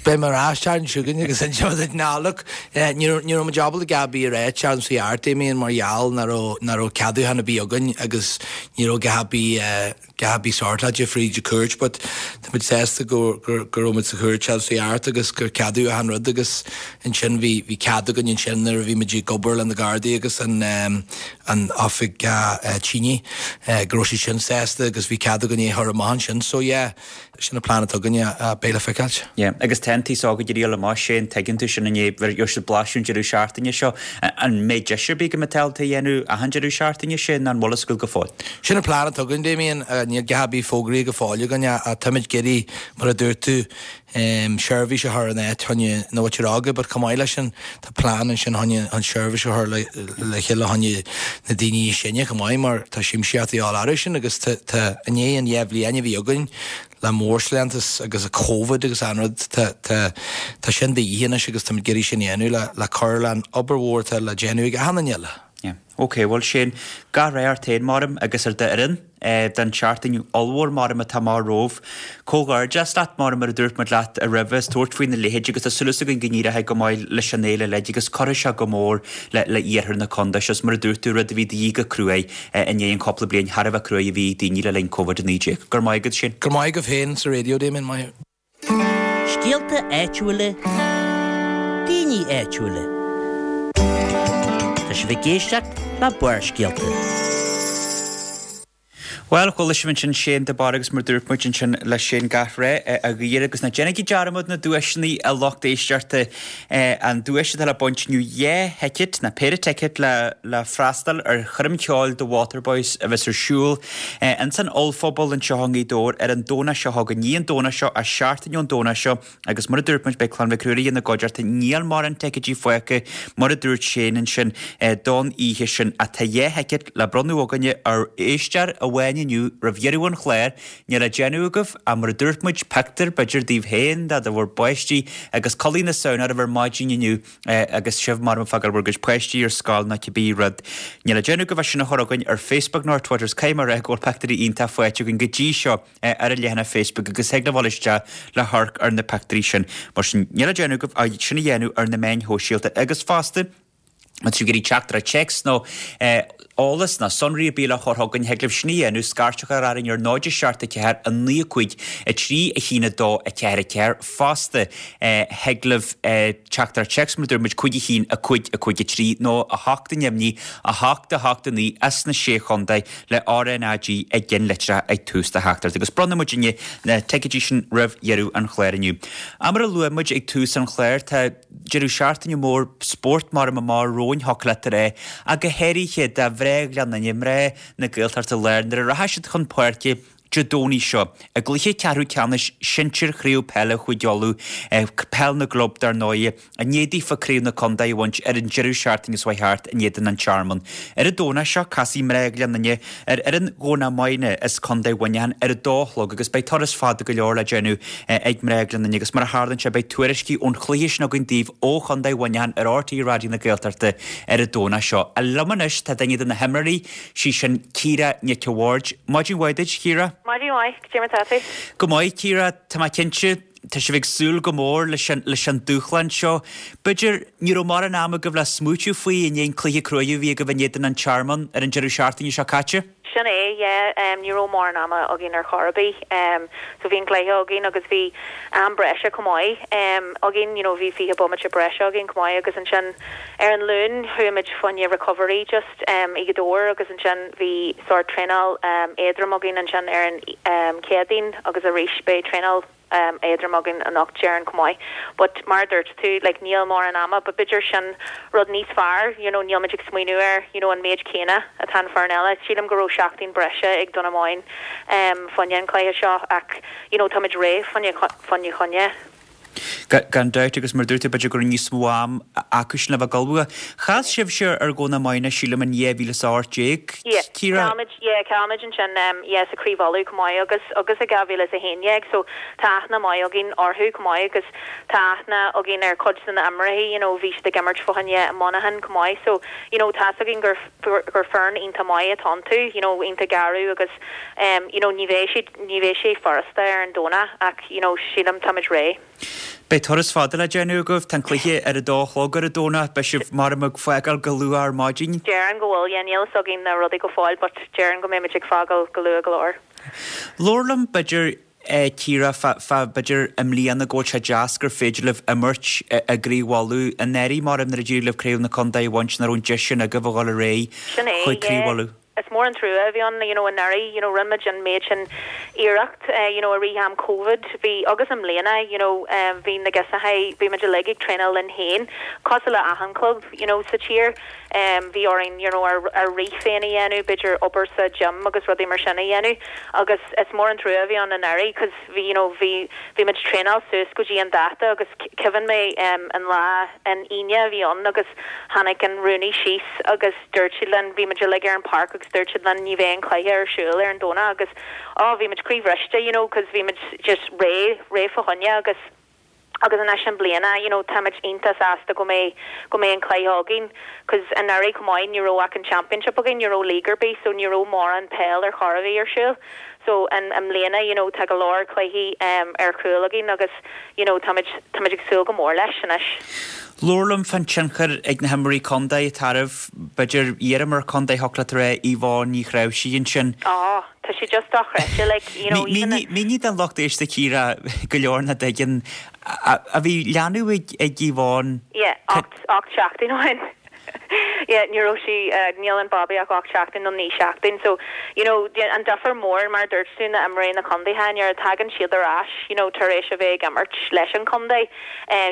Beidh mé ar ais an tseachtain seo chugainn agus inseoidh mé duit ná look ní raibh ní raibh muid ábalta a dhath ar bith a rá an tseachtain seo thart Damien mar gheall nach raibh nach raibh ceadúchán ar bith againn agus ní raibh a dhath ar bith a dhath ar bith sortáilte fríd an chúirt but tá muid sásta go go go raibh muid sa chúirt an tseachtain seo thart agus gur ceadaíodh achan rud agus ansin bhí bhí cead againn ansin nuair a bhí muid ag obair le na Gardaí agus an an oifig tine go raibh siad sin sásta agus bhí cead againn é a chur amach ansin so yeah Sin an plean atá againne, beidh le feiceáilt. Yeah, agus tá an t-aos óg ag iarraidh dul amach, Shane, tuigeann tú sin inné, gheobhaidh siad blaiseadh an deireadh seachtaine seo. An mbeidh deis ar bith go mbeidh tú ábalta a dhéanamh achan deireadh seachtaine, Shane, nó an bhfuil fhios agat go fóill? Sin an plean atá againn, Damien, níl a dhath ar bith fógraithe go fóill againn ach táimid ag iarraidh, mar a dúirt tú, seirbhís a chur in áit chun na muintir óga but chomh maith leis sin tá plean ansin chun an seirbhís a chur le chéile chun na daoine níos sine chomh maith mar tá siamsaíocht a dhíobháil orthu sin agus tá i ndiaidh an dhá bhliain a bhí againn le mórshlántas agus Covid agus an rud tá tá tá sin de dhíth anois agus táimid ag iarraidh sin a dhéanamh le le cur le an obair mhór atá le déanamh ag achan duine eile. Yeah. Ok, bhuel Shane, gach rath ort féin, maram, agus ar d'fhoireann. Don tseachtain ollmhór maram atá amach romhaibh. Comhghairdeas leat, mar mar a dúirt muid leat roimhe, as tabhairt faoina leithéid agus tá súil againn go n-éireoidh go maith leis an fhéile uilig agus cuirfidh sé go mór le le iarthar na contae seo. Is mar a dúirt tú, rud a bhí de dhíth go cruaidh i ndiaidh an chúpla bliain thar a bheith cruaidh a bhí ag daoine le linn Covid-19. Go raibh maith agat, Shane. Go raibh maith agaibh féin sa raidió, Damien. Maith thú. Scéalta áitiúla, daoine áitiúla. Tá sibh ag éisteacht le Barrscéalta. Bhuel, chuala sibh ansin Shane de Barra agus mar dúirt muid ansin le Shane gach rath á ghuí air agus ná déanaigí dearmad na duaiseanna a lucht éisteachta. An duais atá le baint inniu 2 thicéad, nó péire ticéad le le freastal ar choirm cheoil The Waterboys a bheas ar siúl ins an ollphuball anseo i nGaoth Dobhair ar an Domhnach seo chugainn, ní an Domhnach seo ach seachtain ón Domhnach seo agus mar a dúirt muid beidh Clann Mhic Ruairí ina gcuideachta, níl mórán ticéidí fágtha mar a dúirt Shane ansin don oíche sin ach tá 2 thicéad le bronnadh againne ar éisteoir amháin inniu roimh dheireadh an chláir. Níl le déanamh agaibh ach mar a dúirt muid, pictiúr, b'fhéidir, daoibh féin, de bhur bpáistí agus culaith na Samhna oraibh ar maidin inniu agus sibh mar ag fágáil bhur gcuid páistí ar scoil nó cibé rud. Níl le déanamh agaibh ach sin a chur chugainn ar Facebook nó ar Twitter is caithfidh mé a rá go bhfuil pictiúirí iontach faighte againn go dtí seo ar an leathanach Facebook agus thig libh dul isteach le hamharc ar na pictiúirí sin. Mar sin, níl le déanamh agaibh ach sin a dhéanamh ar na meáin shóisialta agus fosta, Má tá sibh ag iarraidh teachtaireacht téacs nó eolas nó sonraí ar bith le chur chugainn, thig libh sin a dhéanamh, scairt a chur orainn ar 0 7 4 9 5 3 1 2 4 4. Fosta, thig libh teachtaireacht téacs, mar a dúirt muid, 5 1 5 5 3 nó 8 neamhní 8 8 9 as na Sé Chontae le RnaG i gceannlitreacha ag tús do theachtaireacht. Agus bronnfaidh muidinne na ticéidí sin roimh dheireadh an chláir inniu. Mar a luaigh muid ag tús an chláir, tá. Deireadh seachtaine mór spóirt mar amach romhainn thiocfadh leat a rá, ach go háirithe do mhná Ghleann Fhinne, mná na Gaeltachta Láir, nuair a rachaidh siad chun páirce Dé Domhnaigh seo i gcluiche ceathrú ceannais sinsir Chraobh Peile Chúige Uladh, Peil na gClub dar ndóigh, i ndiaidh daofa Craobh na Contae a bhaint ar an deireadh seachtaine seo chuaigh thart in éadan An Tearmann. Ar an Domhnach seo casfaidh mná Ghleann Fhinne ar fhoireann Dhomhnach Maidhne as Contae Mhuineacháin ar a dó a chlog agus beidh turas fada go leor le déanamh ag mná Ghleann Fhinne agus mar a tharlaíonn sé beidh tuairiscí ón chluiche sin againn daoibh ó Chontae Mhuineacháin ar RTÉ Raidió na Gaeltachta ar an Domhnach seo. Liom anois tá duine de na himreoirí, sí sin Ciara Nic a' Bhaird. Maidin mhaith duit, Ciara. Maidin mhaith, cad é mar tá tú? Go maith, Ciara, tá mé cinnte. Tá sibh ag súil go mór leis an leis an dúshlán seo. B'fhéidir, ní raibh mórán ama agaibh le smaoitiú faoi i ndiaidh an cluiche cruaidh a bhí agaibh in éadan an Tearmann ar an deireadh seachtaine seo caite? Sin é, yeah. Ní raibh mórán ama againn ar chor ar bith. So bhí an cluiche againn agus bhí am breise chomh maith againn, you know, bhí 20 bomaite breise againn chomh maith agus ansin ar an Luan chuaigh muid fá choinne recovery just i nGaoth Dobhair agus ansin bhí sórt traenáil éadrom againn ansin ar an Chéadaoin agus arís beidh traenáil éadrom againn anocht déarfainn chomh maith. But mar a dúirt tú, like níl mórán ama but b'fhéidir sin rud níos fearr, you know, níl muid ag smaoineamh air, you know, an méid céanna atá an foireann eile. Sílim go raibh seachtain breise ag Dún na Móine fá choinne an cluiche seo ach, you know, táimid réidh fá fá choinne. Gan dabht agus mar a dúirt tú b'fhéidir go raibh níos mó am acu sin le bheith ag ullmhú. Chas sibhse ar Dhomhnach Maidhne sílim in 2018, Yeah, Ciara? chaill muid, yeah, chaill muid ansin, yeah, sa Craobh Uladh chomh maith agus, agus i 2011 so tá aithne maith againn orthu chomh maith agus tá aithne againn ar chuid de na imreoirí, you know, bhí siad ag imirt fá choinne i Monaghan chomh maith so, you know, tá's againn gur, gur foireann iontach maith atá iontu, you know, iontach garbh agus, you know, ní bheidh siad, ní bheidh sé furasta ar an Domhnach ach, you know, sílim táimid réidh. Beidh turas fada le déanamh agaibh. Tá an cluiche ar a dó a chlog ar an Domhnach. Beidh sibh maram ag fágáil go luath ar maidin. Déarfainn go bhfuil, yeah, níl fhios againn na rudaí go fóill but déarfainn go mbeimid ag fágáil go luath go leor. Labhair liom, b'fhéidir, Ciara, fá, fá, b'fhéidir, i mbliana go bhfuil sé deas gur féidir libh imirt i gCraobh Uladh. Anuraidh, maram, nuair a d'éirigh libh Craobh na Contae a bhaint, nach raibh an deis sin agaibh a dhul ar aghaidh Sin é, chuig Craobh yeah. Uladh. Is mór an trua a bhí ann, you know, anuraidh, you know, rinne muid an méid sin iarracht, you know, i rith am Covid, bhí, agus i mbliana, you know, bhí na girseachaí, bhí muid uilig ag traenáil linn féin, cosúil le achan club, you know, sa tír, bhí orainn, you know, ár, ár rith féin a dhéanamh, b'fhéidir obair sa gym agus rudaí mar sin a dhéanamh, agus is mór an trua a bhí ann anuraidh, cos bhí, you know, bhí, bhí muid traenáil suas go dtí an dáta agus cuimhin mé an lá, an Aoine a bhí ann agus tháinig an rúnaí síos agus, dúirt siad linn, bhí muid uilig ar an páirc agus dúirt siad linn ní bheidh an cluiche ar siúl ar an Domhnach agus oh bhí muid croíbhriste you know cos bhí muid just réidh, réidh fá choinne agus. Agus anois i mbliana, you know, táimid iontach sásta go mbeidh, go mbeidh an cluiche againn, 'cause anuraidh chomh maith ní raibh ach an championship againn, ní raibh league ar bith, so ní raibh mórán peil ar chor ar bith ar siúl. So in, i mbliana, you know, tá go leor cluichí em ar chúl againn agus, you know, táimid, táimid ag súil go mór leis anois. Labhair liom fán tionchar ag na himreoirí contae atá oraibh, b'fhéidir iar-imreoir contae thiocfadh leat a rá Yvonne Ní Chnáimhsí ansin. Oh. Tá sé just dochreidte, like, you know, even. Mínigh don lucht éisteachta Ciara go leor nach dtuigeann, a bhí leanbh ag Yvonne. Yeah, 8 seachtain ó shin. Yeah, ní raibh sí, níl an babaí ach 8 seachtain nó 9 seachtain, so, you know, an difear mór, mar a dúirt tú, na imreoirí na contaetha, nuair a tagann siad ar ais, you know, tar éis a bheith ag imirt leis an contae,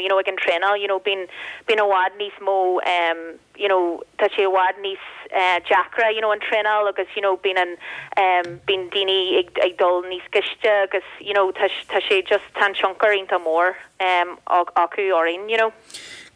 you know, ag an traenáil, you know, bíonn, bíonn i bhfad níos mó, you know tá sé i bhfad níos deacra you know an traenáil agus you know bíonn an bíonn daoine ag ag dul níos gaiste agus you know tá tá sé just tá an tionchar iontach mór acu orainn you know.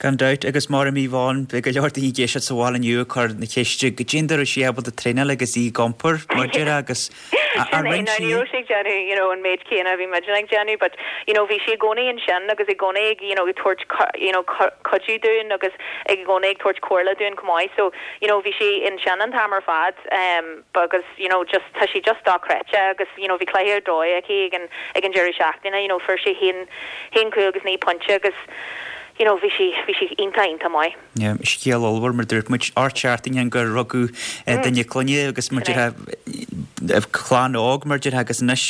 Gan dabht, agus mar a Yvonne, beidh go leor daoine ag éisteacht sa bhaile inniu ag cur na ceiste, goidé an dóigh a raibh sí ábalta traenáil agus í ag iompar, mar a déarfá, agus Sin é, now ní raibh sí ag déanamh you know an méid céanna a bhí muidne ag déanamh but you know bhí sí i gcónaí ansin agus i gcónaí ag you know ag tabhairt you know cuidiú dúinn agus i gcónaí ag tabhairt comhairle dúinn chomh maith so you know bhí sí ansin an t-am ar fad um agus you know just tá sí just dochreidte agus you know bhí cluiche ar dóigh aici ag an ag an deireadh seachtaine you know fuair sí haon haon chúl agus 9 pointe agus you know bhí sí bhí sí iontach iontach maith. Scéal ollmhór, mar a dúirt muid, 8 seachtaine ó shin gur rugadh duine clainne agus mar a déarfá, clann óg mar a déarfá agus anois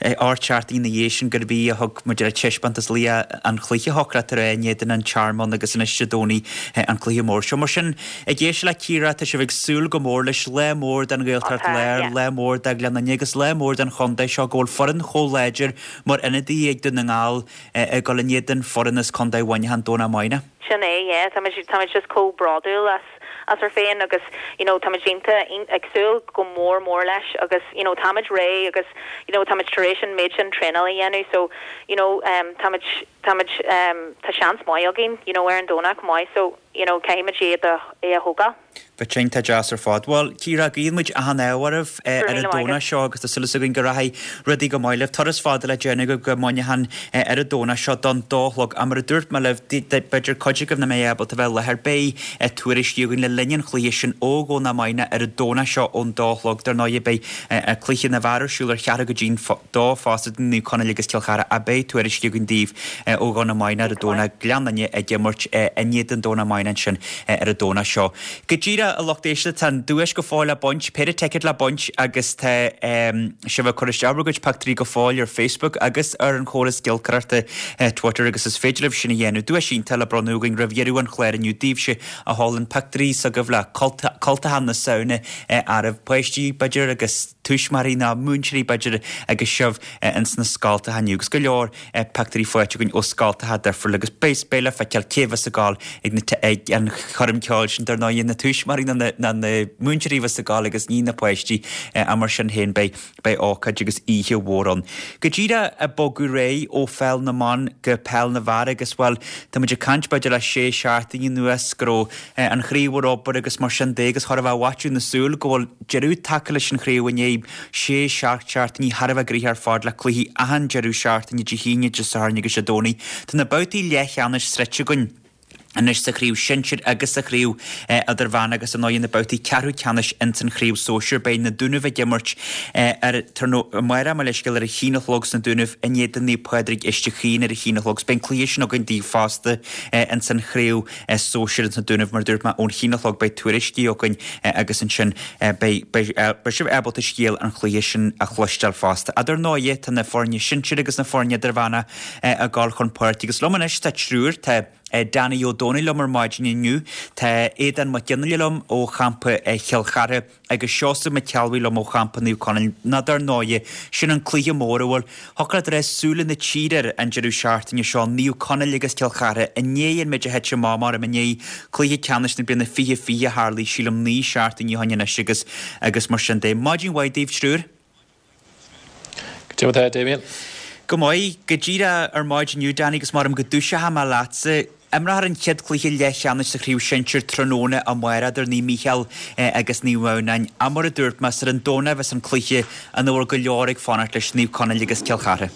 8 seachtaine ina dhiaidh sin gurb í a thug mar a déarfá taispeántas laoch an chluiche thiocfadh leat a rá in éadan an Tearmann agus anois Dé Domhnaigh an cluiche mór seo. Mar sin, ag éisteacht le Ciara, tá sibh ag súil go mór leis, lá mór don Ghaeltacht Láir, lá mór do Ghleann Fhinne agus lá mór don chontae seo go bhfuil foireann chomh láidir mar ionadaí ag Dún na nGall ag dul in éadan foireann as Contae Mhuineacháin, Domhnach amárach. Sin é, yeah. Táimid, táimid just chomh bródúil as, as ár féin agus, you know, táimid iontach, ag súil go mór mór leis agus, you know, táimid réidh agus, you know, táimid tar éis an méid sin traenáil a dhéanamh so, you know, um, táimid, táimid, um, tá seans maith againn, you know, ar an Domhnach chomh maith so, you know, caithfimid é a, é a thógáil. Bheadh sé iontach deas ar fad. Bhuel, Ciara, guíonn muid achan ádh oraibh ar an Domhnach seo agus tá súil againn go rachaidh rudaí go maith libh. Turas fada le déanamh agaibh go Muineachán ar an Domhnach seo don dó a chlog. Ach mar a dúirt mé libh, b'fhéidir cuid agaibh nach mbeidh ábalta bheith i láthair, beidh tuairiscí againn le linn an chluiche sin ó Dhomhnach Maidhneach ar an Domhnach seo ón dó a chlog. Dar ndóigh, beidh cluiche na bhfear ar siúl ar cheathrú go dtí'n dó fosta idir Naomh Conaill agus Cill Chartha ach beidh tuairiscí againn daoibh ó Dhomhnach Maidhneach ar an Domhnach, Gleann Fhinne ag imirt in éadan Domhnach Maidhneach ansin. ar an Domhnach seo. Go díreach, a lucht éisteachta, tá an duais go fóill le baint, péire ticéad le baint agus tá sibh ag cur isteach bhur gcuid pictiúirí go fóill ar Facebook agus ar an chóras giolcaireachta Twitter agus is féidir libh sin a dhéanamh. Duais iontach le bronnadh againn roimh dheireadh an chláir inniu daoibhse a sheolann pictiúirí s'agaibh le cultacha na Samhna oraibh, páistí b'fhéidir agus tuismitheoirí nó múinteoirí b'fhéidir agus sibh ins na scoltacha inniu agus go leor pictiúirí faighte againn ó scoltacha difriúla agus beidh beidh le feiceáil cé bheas ag gabháil ag na ag an choirm ceoil sin dar ndóigh na tuismitheoirí nó na ná na múinteoirí a bheas ag gabháil agus ní na páistí ach mar sin féin beidh beidh ócáid agus oíche mhór ann. Go díreach ag bogadh ar aghaidh ó pheil na mban go peil na bhfear agus bhuel tá muid ag caint b'fhéidir le sé seachtaine anuas go raibh an chraobh ar obair agus mar sin de agus chóir a bheith i bhfaiteadh na súl go bhfuil deireadh tagtha leis an chraobh i ndiaidh sé, seacht seachtainí thar a bheith gnoitheach ar fad le cluichí achan deireadh seachtaine, Dé hAoine, Dé Sathairn agus Dé Domhnaigh. Tá na babhtaí leathcheannais sroichte againn anois sa chraobh shinsir agus sa chraobh idirmheánach agus ar ndóigh na babhtaí ceathrú ceannais ins an chraobh sóisir. Beidh na Dúnaibh ag imirt ar amárach mo leithscéal ar a haon a chlog sna Dúnaibh in éadan Naomh Pádraig Uisce Chaoin ar a haon a chlog. Beidh an cluiche sin againn daoibh fosta ins an chraobh sóisir ins na Dúnaibh mar a dúirt mé ón haon a chlog beidh tuairiscí againn agus ansin beidh beidh sibh ábalta scéal an chluiche sin a chloisteáil fosta. Ach dar ndóighe tá na foirne sinsir agus na foirne idirmheánach ag dul chun páirce agus liom anois tá triúr, tá Danny Ó Dónaill liom ar maidin inniu, tá Aodán Mac Fhionnghaile liom ó champa Chill Chartha, agus Seosamh Mac Ceallbhuí liom ó champa Naomh Conaill, ná dar ndóighe, sin an cluiche mór a bhfuil, thiocfadh leat a rá, súile na tíre air an deireadh seachtaine seo, Naomh Conaill agus Cill Chartha, i ndiaidh an méid a thit amach mar i ndiaidh cluiche ceannais na bliana 2020 a tharlaigh, sílim, 9 seachtainí ó shin anois agus, agus mar sin de. Maidin mhaith daoibh, triúr. Cad é mar atá, Damien? Go maith. Go díreach ar maidin inniu, Danny, agus maram go dtúiseochaidh mé leatsa. Imreofar an chéad chluiche leathcheannais sa chraobh shinsir tráthnóna amárach idir Naomh Mícheál agus Naomh Adhamhnáin. Ach mar a dúirt mé, is ar an Domhnach a bheas an cluiche ina bhfuil go leor ag fanacht leis, Naomh Conaill agus Cill Chartha.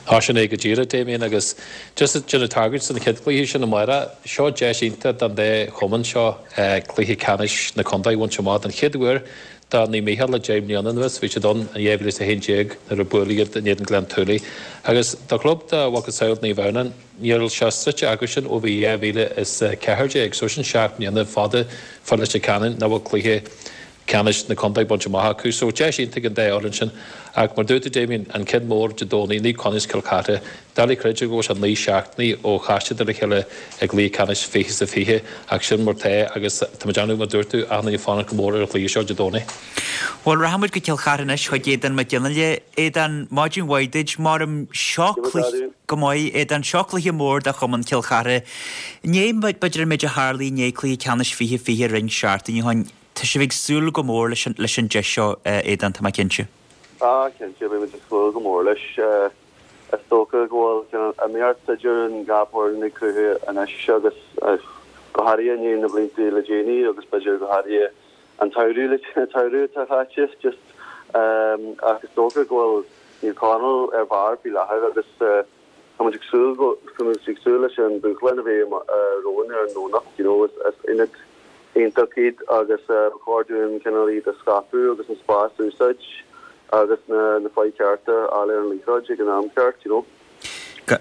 Tá sin é go díreach, Damien, agus just ag déanamh tagairt don chéad chluiche sin amárach, seo deis iontach don dá chumann seo cluiche ceannais na contae a bhaint amach den chéad uair do Naomh Mícheál le 10 mbliana anuas. Bhí siad ann in 2011 nuair a buaileadh iad in éadan Gleann tSúilí. Agus do chlub dá mhacasamhail Naomh Adhamhnáin, níl sé sroichte acusan ó bhí 2014, so sin 7 mbliana fada fá Leitir Ceanainn nach bhfuil cluiche ceannais na contae bainte amach acu. So deis iontach ag an dá fhoireann sin. Ach mar dúirt tú Damien, an ceann mór Dé Domhnaigh, Naomh Conaill is Cill Chartha, doiligh creidbheáil go bhfuil sé 9 seachtainí ó chas siad ar a chéile i gcluiche ceannais 20 is a 20 ach sin mar tá agus tá muid ann mar dúirt tú, achan duine ag fanacht go mór ar an chluiche seo Dé Domhnaigh. Bhuel, rachaidh muid go Cill Chartha anois chuig Aodán Mac Fhionnghaile. Aodán, maidin mhaith duit. Maram seo cluiche go maith, Aodán, seo cluiche mór do chumann Chill Chartha. I ndiaidh, b'fhéidir an méid a tharlaigh i ndiaidh cluiche ceannais 2020 roinnt seachtainí ó shin, Tá sibh ag súil go mór leis an leis an deis seo, Aodán, tá mé cinnte. Ah, cinnte, beidh muid ag súil go mór leis. Is dócha go bhfuil cineál iomaíocht idir an dhá foireann ag cruthú anois agus go háirithe i ndiaidh na blianta le déanaí agus b'fhéidir go háirithe an tsamhradh le an tsamhradh atá caite just ach is dócha go bhfuil Naomh Conaill ar barr faoi láthair agus Tá muid ag súil go, tá muid ag súil leis an dúshlán a bheidh romhainn ar an nDomhnach, you know, is ionad iontach iad agus ba chóir dúinn cineál iad a scaipeadh agus an spás a úsáid agus na na fáidh cearta a fháil ar an liathróid ag an am ceart, you know.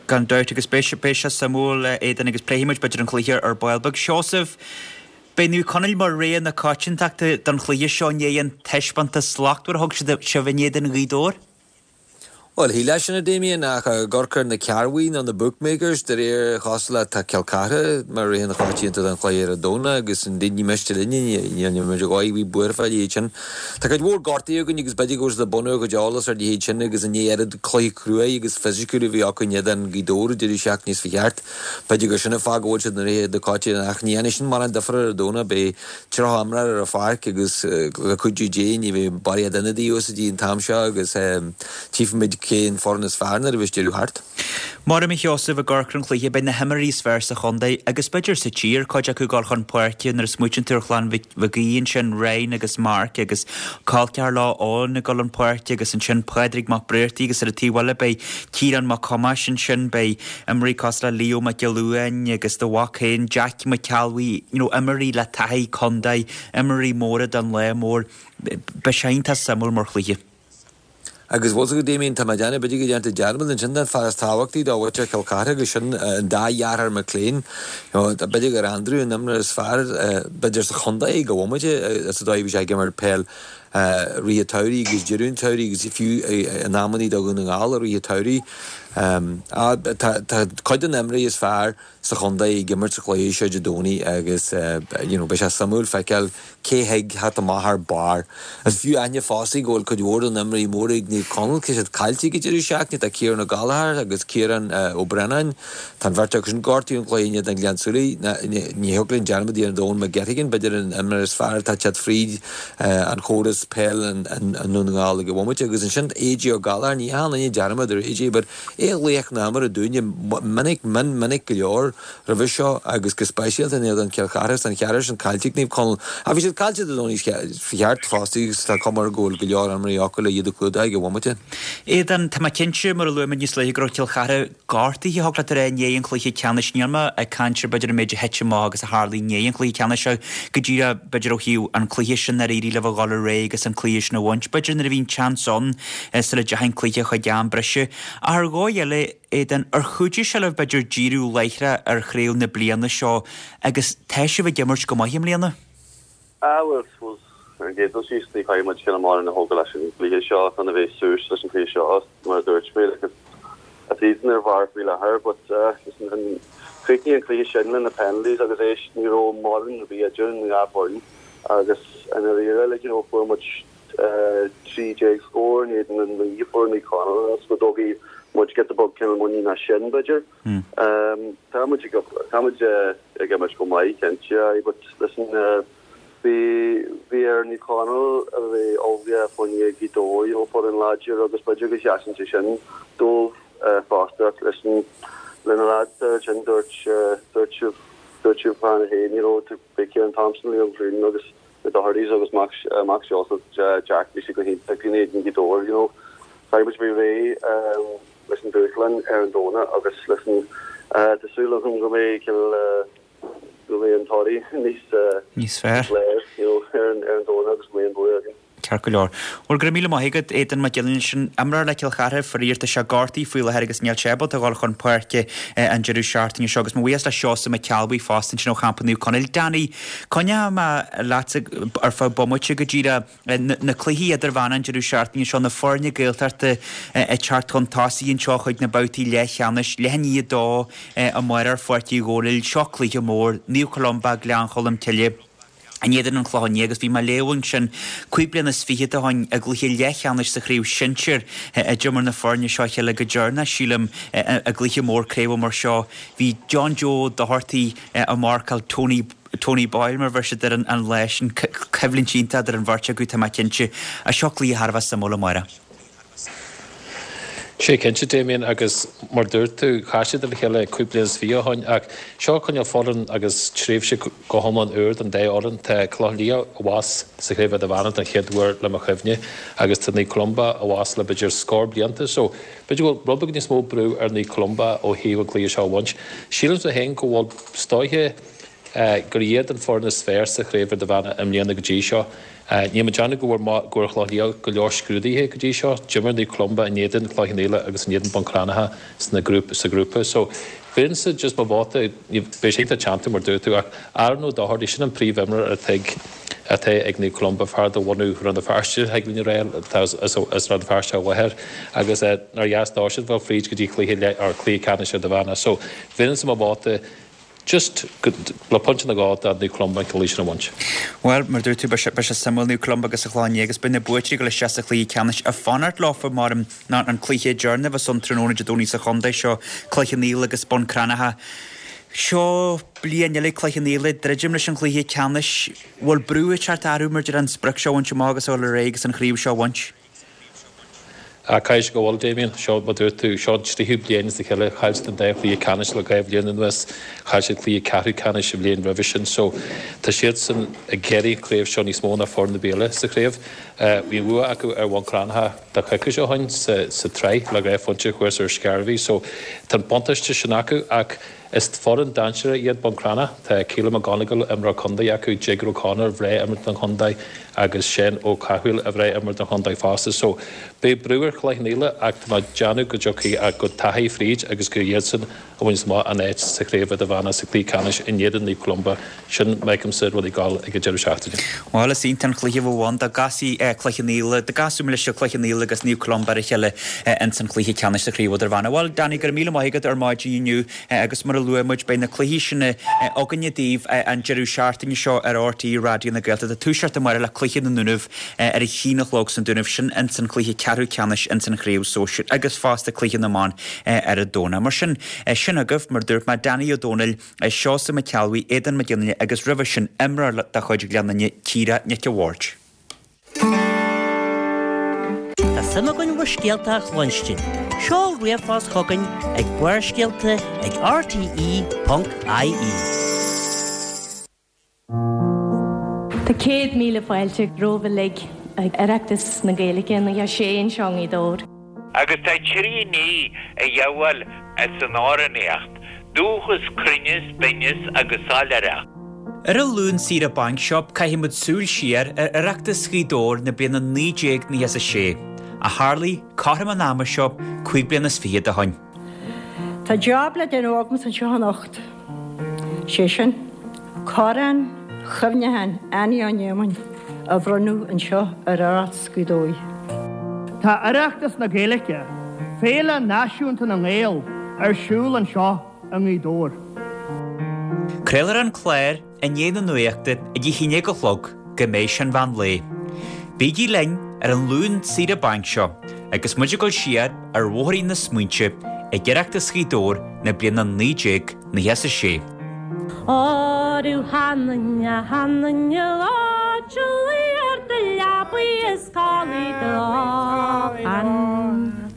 Gan dabht, agus beidh sé, beidh sé suimiúil, Aodán, agus pléifidh muid b'fhéidir an cluiche ar ball beag. Seosamh, beidh Naomh Conaill mar rogha na coitiantachta don chluiche seo i ndiaidh an taispeántas slachtmhar a thug siad sibh in éadan Ghaoth Dobhair. Bhuel, shílfeá sin, a Damien, ach ag amharc ar na cearrbhaigh nó na bookmakers, de réir chosúlachta tá Cill Chartha mar rogha na coitianta don chluiche ar an Domhnach agus ní miste linn, níl muid ar dhóigh ar bith buartha fá leithéid sin. Tá cuid mhór gortaithe againn agus b'fhéidir go bhfuil siad ag bunú a gcuid eolas ar a leithéid sin agus i ndiaidh oiread cluiche cruaidh agus fisiciúil a bhí acu in éadan Ghaoth Dobhair an deireadh seachtaine seo thart, b'fhéidir gur sin an fáth go bhfuil siad ina rogha na coitianta ach ní dhéanfaidh sin mórán difear ar an Domhnach, beidh 30 imreoir ar an pháirc agus le cuidiú Dé ní bheidh barraíocht ionadaí úsáidte an t-am seo agus tchífimid cé an foireann is fearr nuair a bheas deireadh thart. Maram a Sheosaimh, ag amharc ar an chluiche, beidh na himreoirí is fearr sa chontae agus b'fhéidir sa tír, cuid acu ag dul chun páirce nuair a smaoitíonn tú ar chlann Mhic Aoidh ansin, Ryan agus Mark agus col ceathar leo Eoin ag dul chun páirce agus ansin Pádraig Mac Briartaigh agus ar an taobh eile beidh Ciarán Mac Thomáis ansin, beidh imreoirí cosúil le Leo Mac Giolla Uain agus do mhac féin Jack Mac Ceallbhuí, you know, imreoirí le taithí contae, imreoirí móra don lá mór. Beidh sé iontach suimiúil mar chluiche. Agus bhfuil 's agat Damien, tá mé ag déanamh, b'fhéidir go ndearna tú dearmad ansin den fear is tábhachtaí do mhuintir Chill Chartha agus sin an dá dheartháir McLean. You know, b'fhéidir gur Andrew an imreoir is fearr b'fhéidir sa chontae ag an bhomaite sa dóigh a bhí sé ag imirt peil i rith an tsamhraidh agus deireadh an tsamhraidh agus fiú in amannaí do Dhún na nGall i rith an tsamhraidh. Tá cuid de na himreoirí is fearr sa chontae ag imirt sa chluiche seo Dé Domhnaigh agus you know beidh sé suimiúil feiceáil cé thig theacht amach ar barr. Is fiú aithne fosta go bhfuil cuid mhór de na himreoirí móra ag Naomh Conaill, tá siad caillte ag an deireadh seachtaine, tá Ciarán Ó Gallchóir agus Ciarán Ó Braonáin, tá an bheirt acu sin gortaithe ón gcluiche in éadan Ghleann tSúilí. Ní thiocfadh linn dearmad a dhéanamh d'Eoin McGettigan, b'fhéidir an imreoir is fearr atá ag teacht fríd an chóras peil i nDún na nGall ag an bhomaite. Agus ansin AJ Ó Gallchóir, ní dhéanann éinne dearmad ar AJ but é laoch na himeartha dúinne minic, mion minic go leor roimhe seo agus go speisialta in éadan Chill Chartha is an cheathrar sin caillte ag Naomh Conaill. Ach bhí siad caillte Dé Domhnaigh fá cheart fosta agus tá cuma air go bhfuil go leor imreoirí acu le iad a chlúdach ag an bhomaite. Aodán, tá mé cinnte, mar a luaigh muid níos luaithe, go raibh Cill Chartha gortaithe, thig leat a rá, i ndiaidh an chluiche ceannais. Níl mé ag caint ar b'fhéidir an méid a thit amach agus a tharlaigh i ndiaidh an chluiche ceannais ach go díreach b'fhéidir ó thaobh an cluiche sin nár éirigh libh a dhul ar aghaidh agus an cluiche sin a bhaint. B'fhéidir nuair a bhí an tseans ann sula dteachaigh an cluiche chuig am breise. Ach ar dhóigh eile, Aodán, ar chuidigh sé libh b'fhéidir díriú láithreach ar chraobh na bliana seo agus tá sibh ag imirt go maith i mbliana? Ah bhuel, suppose ar an gcéad dul síos ní chaithfidh muid cineál mórán a thógáil leis an gcluiche seo chun a bheith suas leis an gcluiche seo mar a dúirt mé like is iadsan ar bharr faoi láthair but eh listen an chríochnaigh an cluiche sin le na penalties agus éist ní raibh mórán ar bith idir an dhá foireann agus i ndáiríre like you know fuair muid eh 13 scór in éadan an 9 a fuair Naomh Conaill agus go dtógfaidh muid giota beag cineál muinín as sin b'fhéidir. Tá muid ag tá muid ag imirt go maith cinnte aye but listen bhí bhí ar Naomh Conaill a bheith ullmhaithe fá choinne Gaoth Dobhair you know foireann láidir agus b'fhéidir go sheasann sé sin dóibh fosta ach listen le na lads ansin dúirt dúirt sibh dúirt sibh cheana féin you know beidh Ciarán Thompson Liam Clune agus na Dohertys agus mac mac Seosamh Jack bhí siad go hiontach in éadan Gaoth Dobhair you know. Caithfidh muid bheith réidh leis an dúshlán ar an Domhnach agus listen, tá súil agam go mbeidh cineál, go mbeidh an toradh níos Níos fearr. you know, ar an ar an Domhnach agus go mbeidh an bua againn. Ceart go leor. Bhuel, go raibh míle maith agat, Aidan Mac Giolla Sin imreoir le Cill Chartha, faraor tá sé gortaithe faoi láthair agus níl sé ábalta a dhul chun páirce an deireadh seachtaine seo agus mo bhuíochas le Seosamh Mac Ceallbhuí fosta ansin ó champa Naomh Conaill. Danny, coinneoidh mé leatsa ar feadh bomaite go díreach. Na cluichí idirmheánacha an deireadh seachtaine seo, na foirne Gaeltachta ag teacht chun tosaigh anseo chuig na babhtaí leathcheannais, leath i ndiaidh a dó amárach ar Pháirc Uí Dhónaill. Seo cluiche mór, Naomh Columba, Gleann Cholm Cille in éadan an Chlocháin Léith agus bhí mé ag léamh ansin cúig bliana is fichead ó shin i gcluiche leathcheannais sa chraobh shinsir a d'imir na foirne seo a chéile go deireanach, sílim, i gcluiche mór craoibhe mar seo. Bhí John Joe Doherty ag marcáil Tony Tony Boyle mar a bheir siad air an lá sin, coimhlint iontach idir an bheirt acu tá mé cinnte. Seo cluiche thar a bheith suimiúil amárach. Sé cinnte, Damien, agus mar dúirt tú, chas siad ar a chéile cúig bliana is fiche ó shoin ach seo cineál foireann agus tréimhse go hiomlán úr don dá fhoireann. Tá Cloich Cheann Liath abhus sa Chraobh Idirmheánach don chéad uair le mo chuimhne agus tá Naomh Columba abhus le b'fhéidir scór blianta so b'fhéidir go bhfuil rud beag níos mó brú ar Naomh Columba ó thaobh an cluiche seo a bhaint. Sílimse féin go bhfuil is dóiche gur iad an foireann is fearr sa Chraobh Idirmheánach i mbliana go dtí seo. Níl mé ag déanamh go bhfuair go bhfuair Cloich Liath go leor scrúdaithe go dtí seo. D'imir Naomh Columba in éadan Chloich Cheann Fhaola agus in éadan Bun Cranncha sna grúp sa ghrúpa. So bheinnse just mo vóta, beidh sé iontach teannta mar dúirt tú ach Aaron Ó Dochartaigh, sin an príomhimreoir atá ag atá ag Naomh Columba, fear de bhunadh Rann na Feirste, thig linn a rá, atá as as Rann na Feirste a mháthair agus nár dheas dósan dul fríd go dtí cluiche leath or cluiche ceannais Idirmheánach. So bheinnse mo vóta just go le pointe nó dhó do Naomh Columba an cluiche sin a bhaint. Bhuel, mar a dúirt tú, beidh sé, beidh sé suimiúil, Naomh Columba agus an Chlochán Liath agus beidh na buaiteoirí ag dul isteach sa chluiche ceannais ag fanacht leofa mar ná an cluiche deireanach a bheas ann tráthnóna Dé Domhnaigh sa chontae seo, Cloich Cheann Fhaola agus Bun Cranncha. Seo bliain eile ag Cloich Cheann Fhaola, druidim leis an chluiche ceannais. Bhfuil brú ag teacht orthu mar deir an sprioc seo a bhaint amach agus a dhul ar aghaidh agus an chraobh seo a bhaint? Caithfidh sé go bhfuil, Damien. Seo, mar dúirt tú, seo an tríú bliain as a chéile. Chaill siad an dá chluiche ceannais le dhá bhliain anuas. Chaill siad cluiche ceathrú ceannais an bhliain roimhe sin. So, tá siadsan ag iarraidh an chraobh seo níos mó ná foireann ar bith eile sa chraobh. Bhí an bhua acu ar Bhun Cranncha tá coicís ó shoin sa tsraith le dhá phointe thuas ar Scairbhigh. So, tá an buntáiste sin acu ach Is foireann dainséarach iad Bun Cranncha. Tá Keelan McGonigle, imreoir contae acu, Jigger O'Connor, a bhreá imreoir don chontae agus Seán Ó Cathmhaoil, a bhreá imreoir don chontae fosta. So, beidh brú ar Chloich Cheann Fhaola ach tá mé ag déanamh go dtiocfaidh, go dteachaidh fríd agus gur iadsan a bhainfeas amach an áit sa chraobh idirmheánach sa chluiche ceannais in éadan Naomh Columba. Sin, feicimse rudaí ag gabháil ag an deireadh seachtaine. Bhuel, is iontach an cluiche a bheadh ann dá gcasfaí Cloich Cheann Fhaola, dá gcasfaí mo leithscéal Cloich Cheann Fhaola agus Naomh Columba ar a chéile ins an chluiche ceannais sa Chraobh Idirmheánach. Bhuel, Danny, go raibh míle maith agat ar maidin inniu agus mar a luaigh muid, beidh na cluichí sin againne daoibh an deireadh seachtaine seo ar RTÉ Raidió na Gaeltachta. Toiseacht amárach le cluiche na nDúnaibh ar a haon a chlog san Dúnaibh, sin ins an chluiche ceathrú ceannais ins an Chraobh Sóisir agus fosta cluiche na mban ar an Domhnach. Mar sin, sin agaibh, mar a dúirt mé, Danny Ó Dónaill, Seosamh Mac Ceallbhuí, Aodán Mac Fhionnaile agus roimhe sin imreoir de chuid Ghleann Fhinne, Ciara Nic a' Bhaird. Tá suim againn bhur scéalta a chluinstin. Seol ríomhphost chugainn ag barrscéalta ag rte.ie. Tá 100,000 fáilte romhaibh uilig ag Oireachtas na Gaeilge 96 anseo i ngaoth Dobhair. Agus tá trí ní a ghabháil as an amhránaíocht, dúchas, cruinneas, binneas agus soiléireacht. Ar an Luan Saoire Bainc seo caithfidh muid súil siar ar Oireachtas Ghaoth Dobhair na bliana 1996, a tharlaigh cothrom an ama seo cúig bliana is fichead ó shoin. Tá job le déanamh agamsa anseo anocht, sé sin, Corn Chuimhneacháin Annie Ó Néamáin a bhronnadh anseo ar Oireachtas Ghaoth Dobhair. Tá Oireachtas na Gaeilge, Féile Náisiúnta na nGael, ar siúl anseo i nGaoth Dobhair. Craolfar an clár i ndiaidh na nuachta ag a haon déag a chlog go mbeidh sé an mheán lae. Bígí linn ar an Luan Saoire Bainc seo agus muid ag dul siar ar bhóithrín na smaointe ag Oireachtas Ghaoth Dobhair na bliana 1996. Órú th'anainn a th'anainn a áit a luí ar do leabaidh is codlaigh do lochan.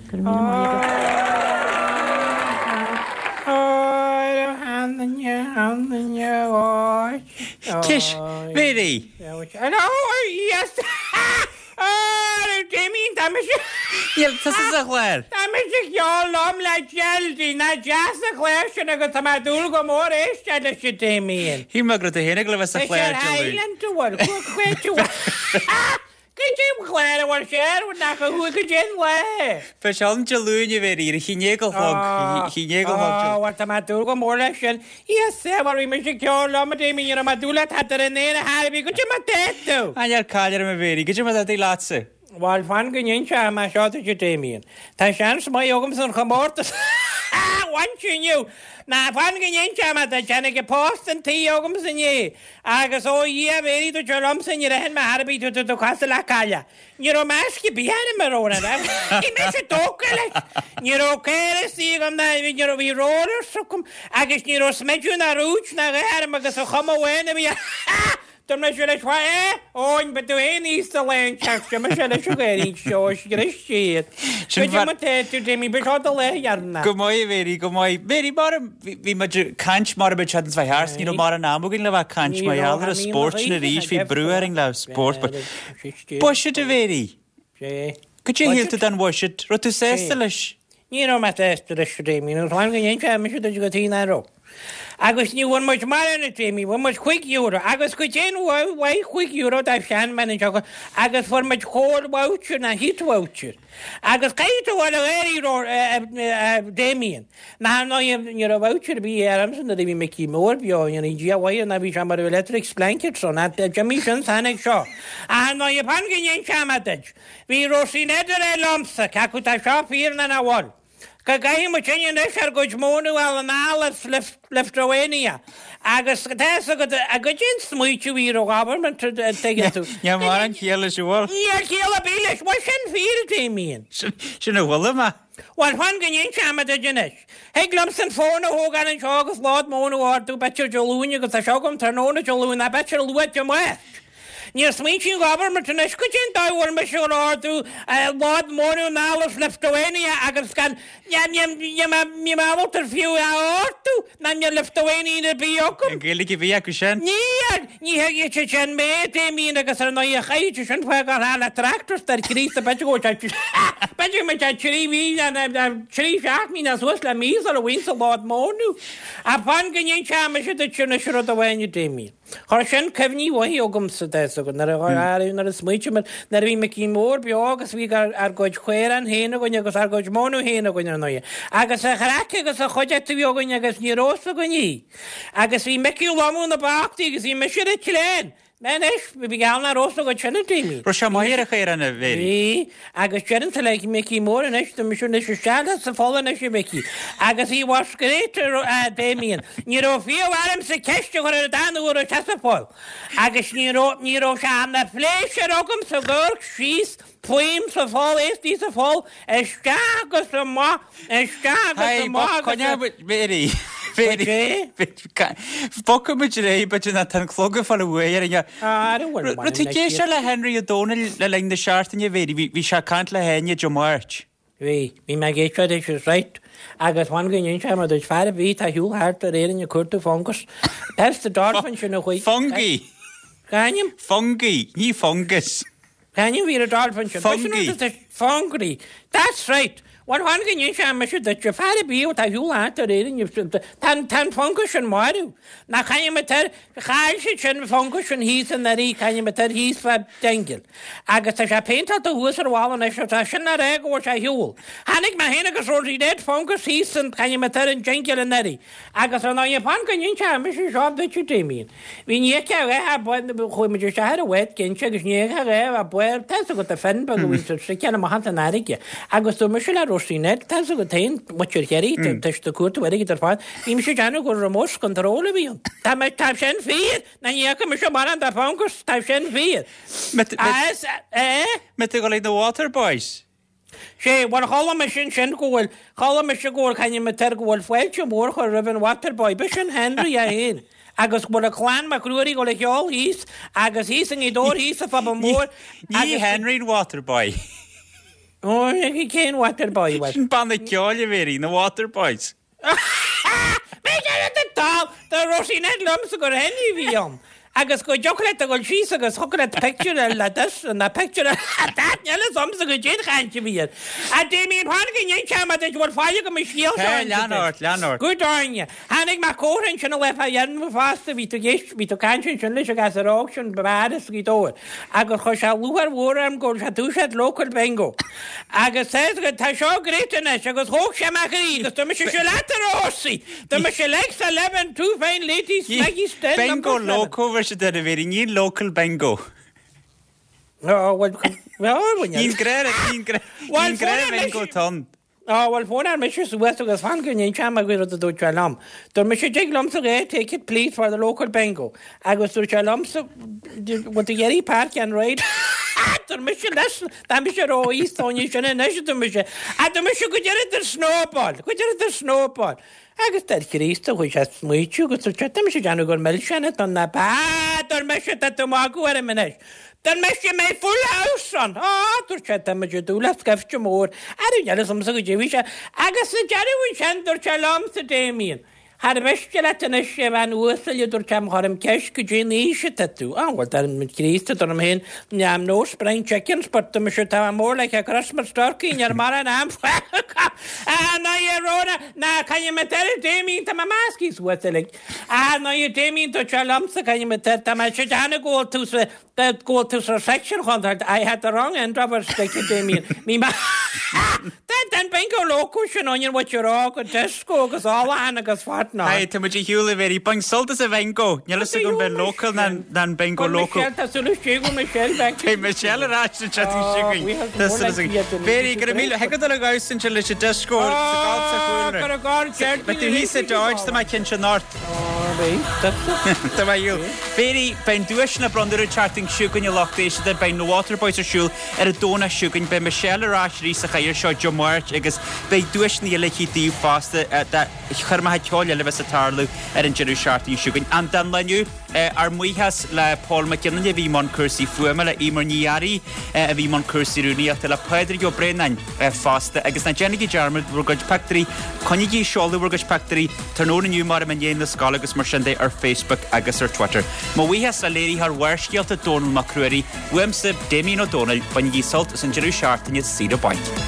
Go raibh míle maith agat. Cis, Mary! Níl tusa sa chlár. Tá mise ag ceol liom le Geraldine, nach deas an clár sin agus tá mé ag dúil go mór éisteacht leis a Damien. Shíl mé go raibh tú féin ag dul a bheith sa chlár Dé Luain. Tá sé ar Highland a bhfuil, Cad é an clár a bhfuil sé air nach a chuaigh go dtí an lá? Beidh sé ann Dé Luain a Mhéirí, ar a haon déag a chlog, a haon déag a chlog. Á, bhuel tá mé ag dúil go mór leis sin. Yes, bhuel bhí mise ag ceol liom a Damien, ní raibh mé ag dúil le tada ar an aer a thairbhí, goidé mar tá tú? Á, níl caill orm a Mhéirí, goidé mar tá tú leatsa? Bhuel, fan go n-inseoidh mé seo duit a Damien. Tá seans maith agamsa an chomórtas a bhaint inniu. Ná fan go n-inseoidh mé duit, tháinig an post an tí agamsa inné. Agus ó a Dhia a Mhéirí dúirt sé liomsa níor aithin mé ar bith tú, tú cosúil le cailleach. Ní raibh masc ar bith orm a raibh an Bhí mise tógtha leis. Ní raibh caor istigh agam ná ní raibh bhí rollers agam agus ní raibh smideadh ná rúid ná a dhath orm agus an chuma amháin a bhí Dúirt mise leis Wha eh? Eoin, ba tú féin aosta lá an teach seo, mise leis an gcaoirín seo, scrios siad. Goidé mar tá tú, Jamie, ba seo do lá dheireanach. Go maith, a Mhéirí, go maith. Mhéirí, mar a, bhí muid ag caint mar a bhí siad ins bheith thart, ní raibh mórán ama againn le bheith ag caint mar gheall ar an spórt sin arís, bhí brú orainn le spórt, but buiséad a Mhéirí! Goidé a shíl tú den bhuiséad? Raibh tú sásta leis? Ní raibh mé sásta leis, a Damien, agus fan go n-inseoidh mise duit cad chuige nach raibh. Agus ní bhfuair muid mórán, a Damien, bhfuair muid €5, agus goidé an mhaith €5 do sheanbhean anseo, agus fuair muid coal voucher ná heat voucher. Agus caithfidh tú a bheith ag gáirí, a Damien. Ná ar ndóigh, ní raibh voucher ar bith agamsa nuair a bhí Micí Mór beo, ní raibh Dia mhaith ná bhí sé mar electric blanket so ná d'imigh sin tháinig seo. Ach ar ndóigh, fan go n-inseoidh mé duit, bhí Róisín Ned ag rá liomsa, cé acu tá seo fíor ná nach bhfuil, go gcaithfidh muid sin anois ár gcuid mónadh a fháil anall as Lithuania agus tá fhios agat goidé an smaoitiú a bhí ar an government an dtuigeann tú. Níl mórán ciall leis an bhfuil. Níl ciall ar bith leis, bhuel sin fíor a Damien. Sin a bhfuil mé. Bhuel, fan go n-inseoidh mé duit anois. Thig liomsa an fón a thógáil anseo agus lód móna a ordú, b'fhéidir Dé Luain agus tá seo agam tráthnóna Dé Luain, ná b'fhéidir luath Dé Máirt. Níor smaointigh an government anois goidé an dóigh a bhfuil mise ag ordú lód móna anall as Lithuania agus gan, níl mé ábalta fiú é a ordú, ná níl Lithuanian ar bith agam. An Ghaeilge a bhí acu sin? Níl! Ní thuigfidh siad sin mé, Damien, agus ar ndóigh chaithfidh siad sin fágáil thar le tractors dar Críost b'fhéidir go bhfuil sé b'fhéidir go mbeidh sé trí mhí ná trí seachtainí ná suas le mí sula bhfaighinn sa lód móna. Ach fan go n-inseoidh mise duit anois rud amháin, a Damien. Chuir sin cuimhní mhaithe chugamsa, tá fhios agat, nuair a nuair a smaoitigh mé nuair a bhí Micí Mór beo agus bhí ár gcuid caorán féin againn agus ár gcuid móna féin againn ar ndóigh. Agus an chraic agus an chuideachta a bhí againn agus ní raibh fhios againn í. Agus bhí Micí lomú na bachtaí agus bhí mise ar an tsleán. Mé anois, bhí geall nach raibh fhios agat sin a Damien. Raibh sé maith ar a chaorán a Mhéirí? Bhí. Agus deireann le Micí Mór anois, tá mise anois isteach leat sa pholl anois a Mhicí. Agus he was great a Damien. Ní raibh fiú ormsa ceist a chur air an uair a raibh sé sa pholl. Agus ní raibh, ní raibh sé ina phléisiúr agamsa ag amharc síos fúm sa pholl, é istigh sa pholl, isteach agus amach, isteach agus amach agus. Coinneoidh muid, Mary, Mary, bogfaidh muid ar aghaidh, b'fhéidir ná tá an clog ag fáil uaidh ar an Raibh tú ag éisteacht le Henry Ó Domhnaill le linn na seachtaine, Mary, bhí sé ag caint le hÁine Dé Máirt. Bhí, bhí mé ag éisteacht leis, is right. Agus fan go n-inseoidh mé duit, fear ar bith atá ar shiúl thart ar Éirinn ag cuartú fungus, Perth the Dolphin sin a chuaigh. Fungi. Cá ainm? Fungi, ní fungus. Cá ainm bhí ar an dolphin sin? Fungi. Fungi. That's right. Bhuel, fan go n-inseoidh mise duit, fear ar bith atá ar shiúl thart ar Éirinn, tá an fungus sin marbh. Nach ainm atá air? Chaill siad sin fungus sin thíos anuraidh, cá ainm atá air thíos fá Dingle. Agus tá sé péinteáilte thuas ar bhalla anois, tá sin le rá go bhfuil sé ar shiúl. Chonaic mé féin agus Rosie Ned fungus thíos san, cá ainm atá air, an Dingle anuraidh. Agus ar ndóigh, fan go n-inseoidh mise seo duit, a Damien. Bhí ní fheicfeá a dhath ar bith, chuaigh muid isteach ar an bhád cinnte agus ní fheicfeá a dhath ar bith, tá fhios agat, an finn beag a bhíonn ag stickeáil amach as an fharraige. Agus dúirt mise le Róisín Ned, tá fhios agat féin, muintir Chiarraí, tá siad ag cuartú airgid ar fad, bhí mise ag déanamh gur remote control a bhí ann. Tá mé, tá sin fíor! Ná ní fhaca mise mórán de fungus, tá sin fíor. As, eh? Mbeidh tú ag dul ag na Waterboys? Sé, bhuel chuala mise ansin go bhfuil, chuala mise go bhfuil, cá ainm atá air, go bhfuil fáilte mhór curtha roimh an Waterboy, b'shin Henry é féin, agus go bhfuil a clann Mac Ruairí ag dul a cheol thíos, agus thíos i nGaoth Dobhair thíos sa phuball mór, Ní agus. Henry an Waterboy. Ó, cén Waterboy, bhuel? Sin banna ceoil a Mhéirí, na Waterboys. B'fhéidir ar do dal, do Róisín Ned liomsa gur Henry a bhí ann. Agus go dtiocfadh leat a dhul síos agus thiocfadh leat pictiúr a fháil le this ná pictiúr a fháil le that, níl fhios a'msa goidé an chaint a bhí air. A Damien, tháinig an inse ama duit, bhfuil faill agam an scéal seo a Tá, lean inse duit. ort, lean ort. Good on you. Tháinig mé comhrá ansin an lá fá dheireanach fosta, bhí tú ag éist, bhí tú ag caint ansin leis an ghasúr óg sin, b'fhearr as Gaoth Dobhair, agus chuir sé lúcháir mhór orm go bhfuil sé dúiseacht local bingo. Agus tá fhios agat, tá seo great anois, agus thóg sé mo chroí agus dúirt mise, seo leat a Rósaí! Dúirt mise, legs 11, two fine ladies, Maggie Stead, Bingo number 7. loco, bhí siad ar a bhéirí, ní local bingo. Ó, bhuel, bhuel, Níl grá, níl grá, níl grá bingo ann. Á, bhuel, phónáil mise suas agus fan go n-inseoidh mé rud a dúirt sé liom. Dúirt mise, dtig liomsa dhá ticket please for the local bingo. Agus dúirt sé liomsa, bhfuil tú ag iarraidh park and ride? Dúirt mise, listen, tá mise ró-aosta fá choinne sin anois, a dúirt mise. A dúirt mise, go deireadh snowball, go deireadh snowball. Agus deir Chríost, chuaigh sé ag smaoitiú agus dúirt sé, tá mise ag déanamh gur milseáin atá ann, ab ea? Dúirt mise, tá tú ag magadh orm anois. Dúirt mise, mbeidh full house ann. Á, dúirt sé, tá muid ag dúil le scaifte mór. Arú níl fhios a'msa goidé a bhí sé. Agus sa deireadh ansin, dúirt sé liomsa, Damien, Char mhiste leat anois, a bhean uasail, a dúirt sé, má chuirim ceist goidé an aois atá tú. Á, bhuel, dar Críost, a dúirt mé féin, I'm no spring chickens, but tá mise, tá mé more like a Christmas turkey, níl mórán am fágtha. Á, ná a Rhona, ná caithfidh mé air, Damien, tá mé measctha suas uilig. Á, ná a Damien, dúirt sé liomsa, caithfidh mé air, tá mé ag déanamh go bhfuil tú sa, go bhfuil tú sa section chun, I had the wrong end of a stick, a Damien. Bhí mé, Tá an bingo loco sin onion what you're all go disco agus ólachán agus what not. Aye, tá muid ar shiúl a Mhéirí. Bain sult as an bhingo. Níl fhios agam b'in local ná an bingo loco. Michelle, tá súil istigh go Michelle back. Beidh Michelle ar ais an tseachtain seo chugainn. Tá súil againn. Mhéirí, go raibh míle, thig leat dul ag damhsa ansin leis an disco sa gcailt sa chúlra. Beidh tú thíos sa George, tá mé cinnte anocht. Tá mé ar shiúl. Mhéirí, beidh an duaiseanna bronnta ar an tseachtain seo chugainn a lucht éisteachta. Beidh na Waterboys ar siúl ar an Domhnach seo chugainn. Beidh Michelle ar ais arís sa chathaoir seo Dé Máirt agus beidh duaiseanna eile aici daoibh fosta do choirmeacha ceoil eile a bheas ag tarlú ar an deireadh seachtaine seo chugainn. An don lá inniu, ár mbuíochas le Paul Mac Fhionnaile a bhí i mbun cúrsaí fuaime, le Emer Ní Fhearraigh a bhí i mbun cúrsaí rúnaíochta, le Pádraig Ó Braonáin fosta. Agus ná déanaigí dearmad bhur gcuid pictiúirí, coinnígí ag seoladh bhur gcuid pictiúirí tráthnóna inniu mar i ndiaidh na scoile agus mar sin de ar Facebook agus ar Twitter. Mo bhuíochas le léiritheoir Bharrscéalta Dónall Mac Ruairí, Uaimse, Damien Ó Dónaill, bainigí sult as an deireadh seachtaine saoire bainc.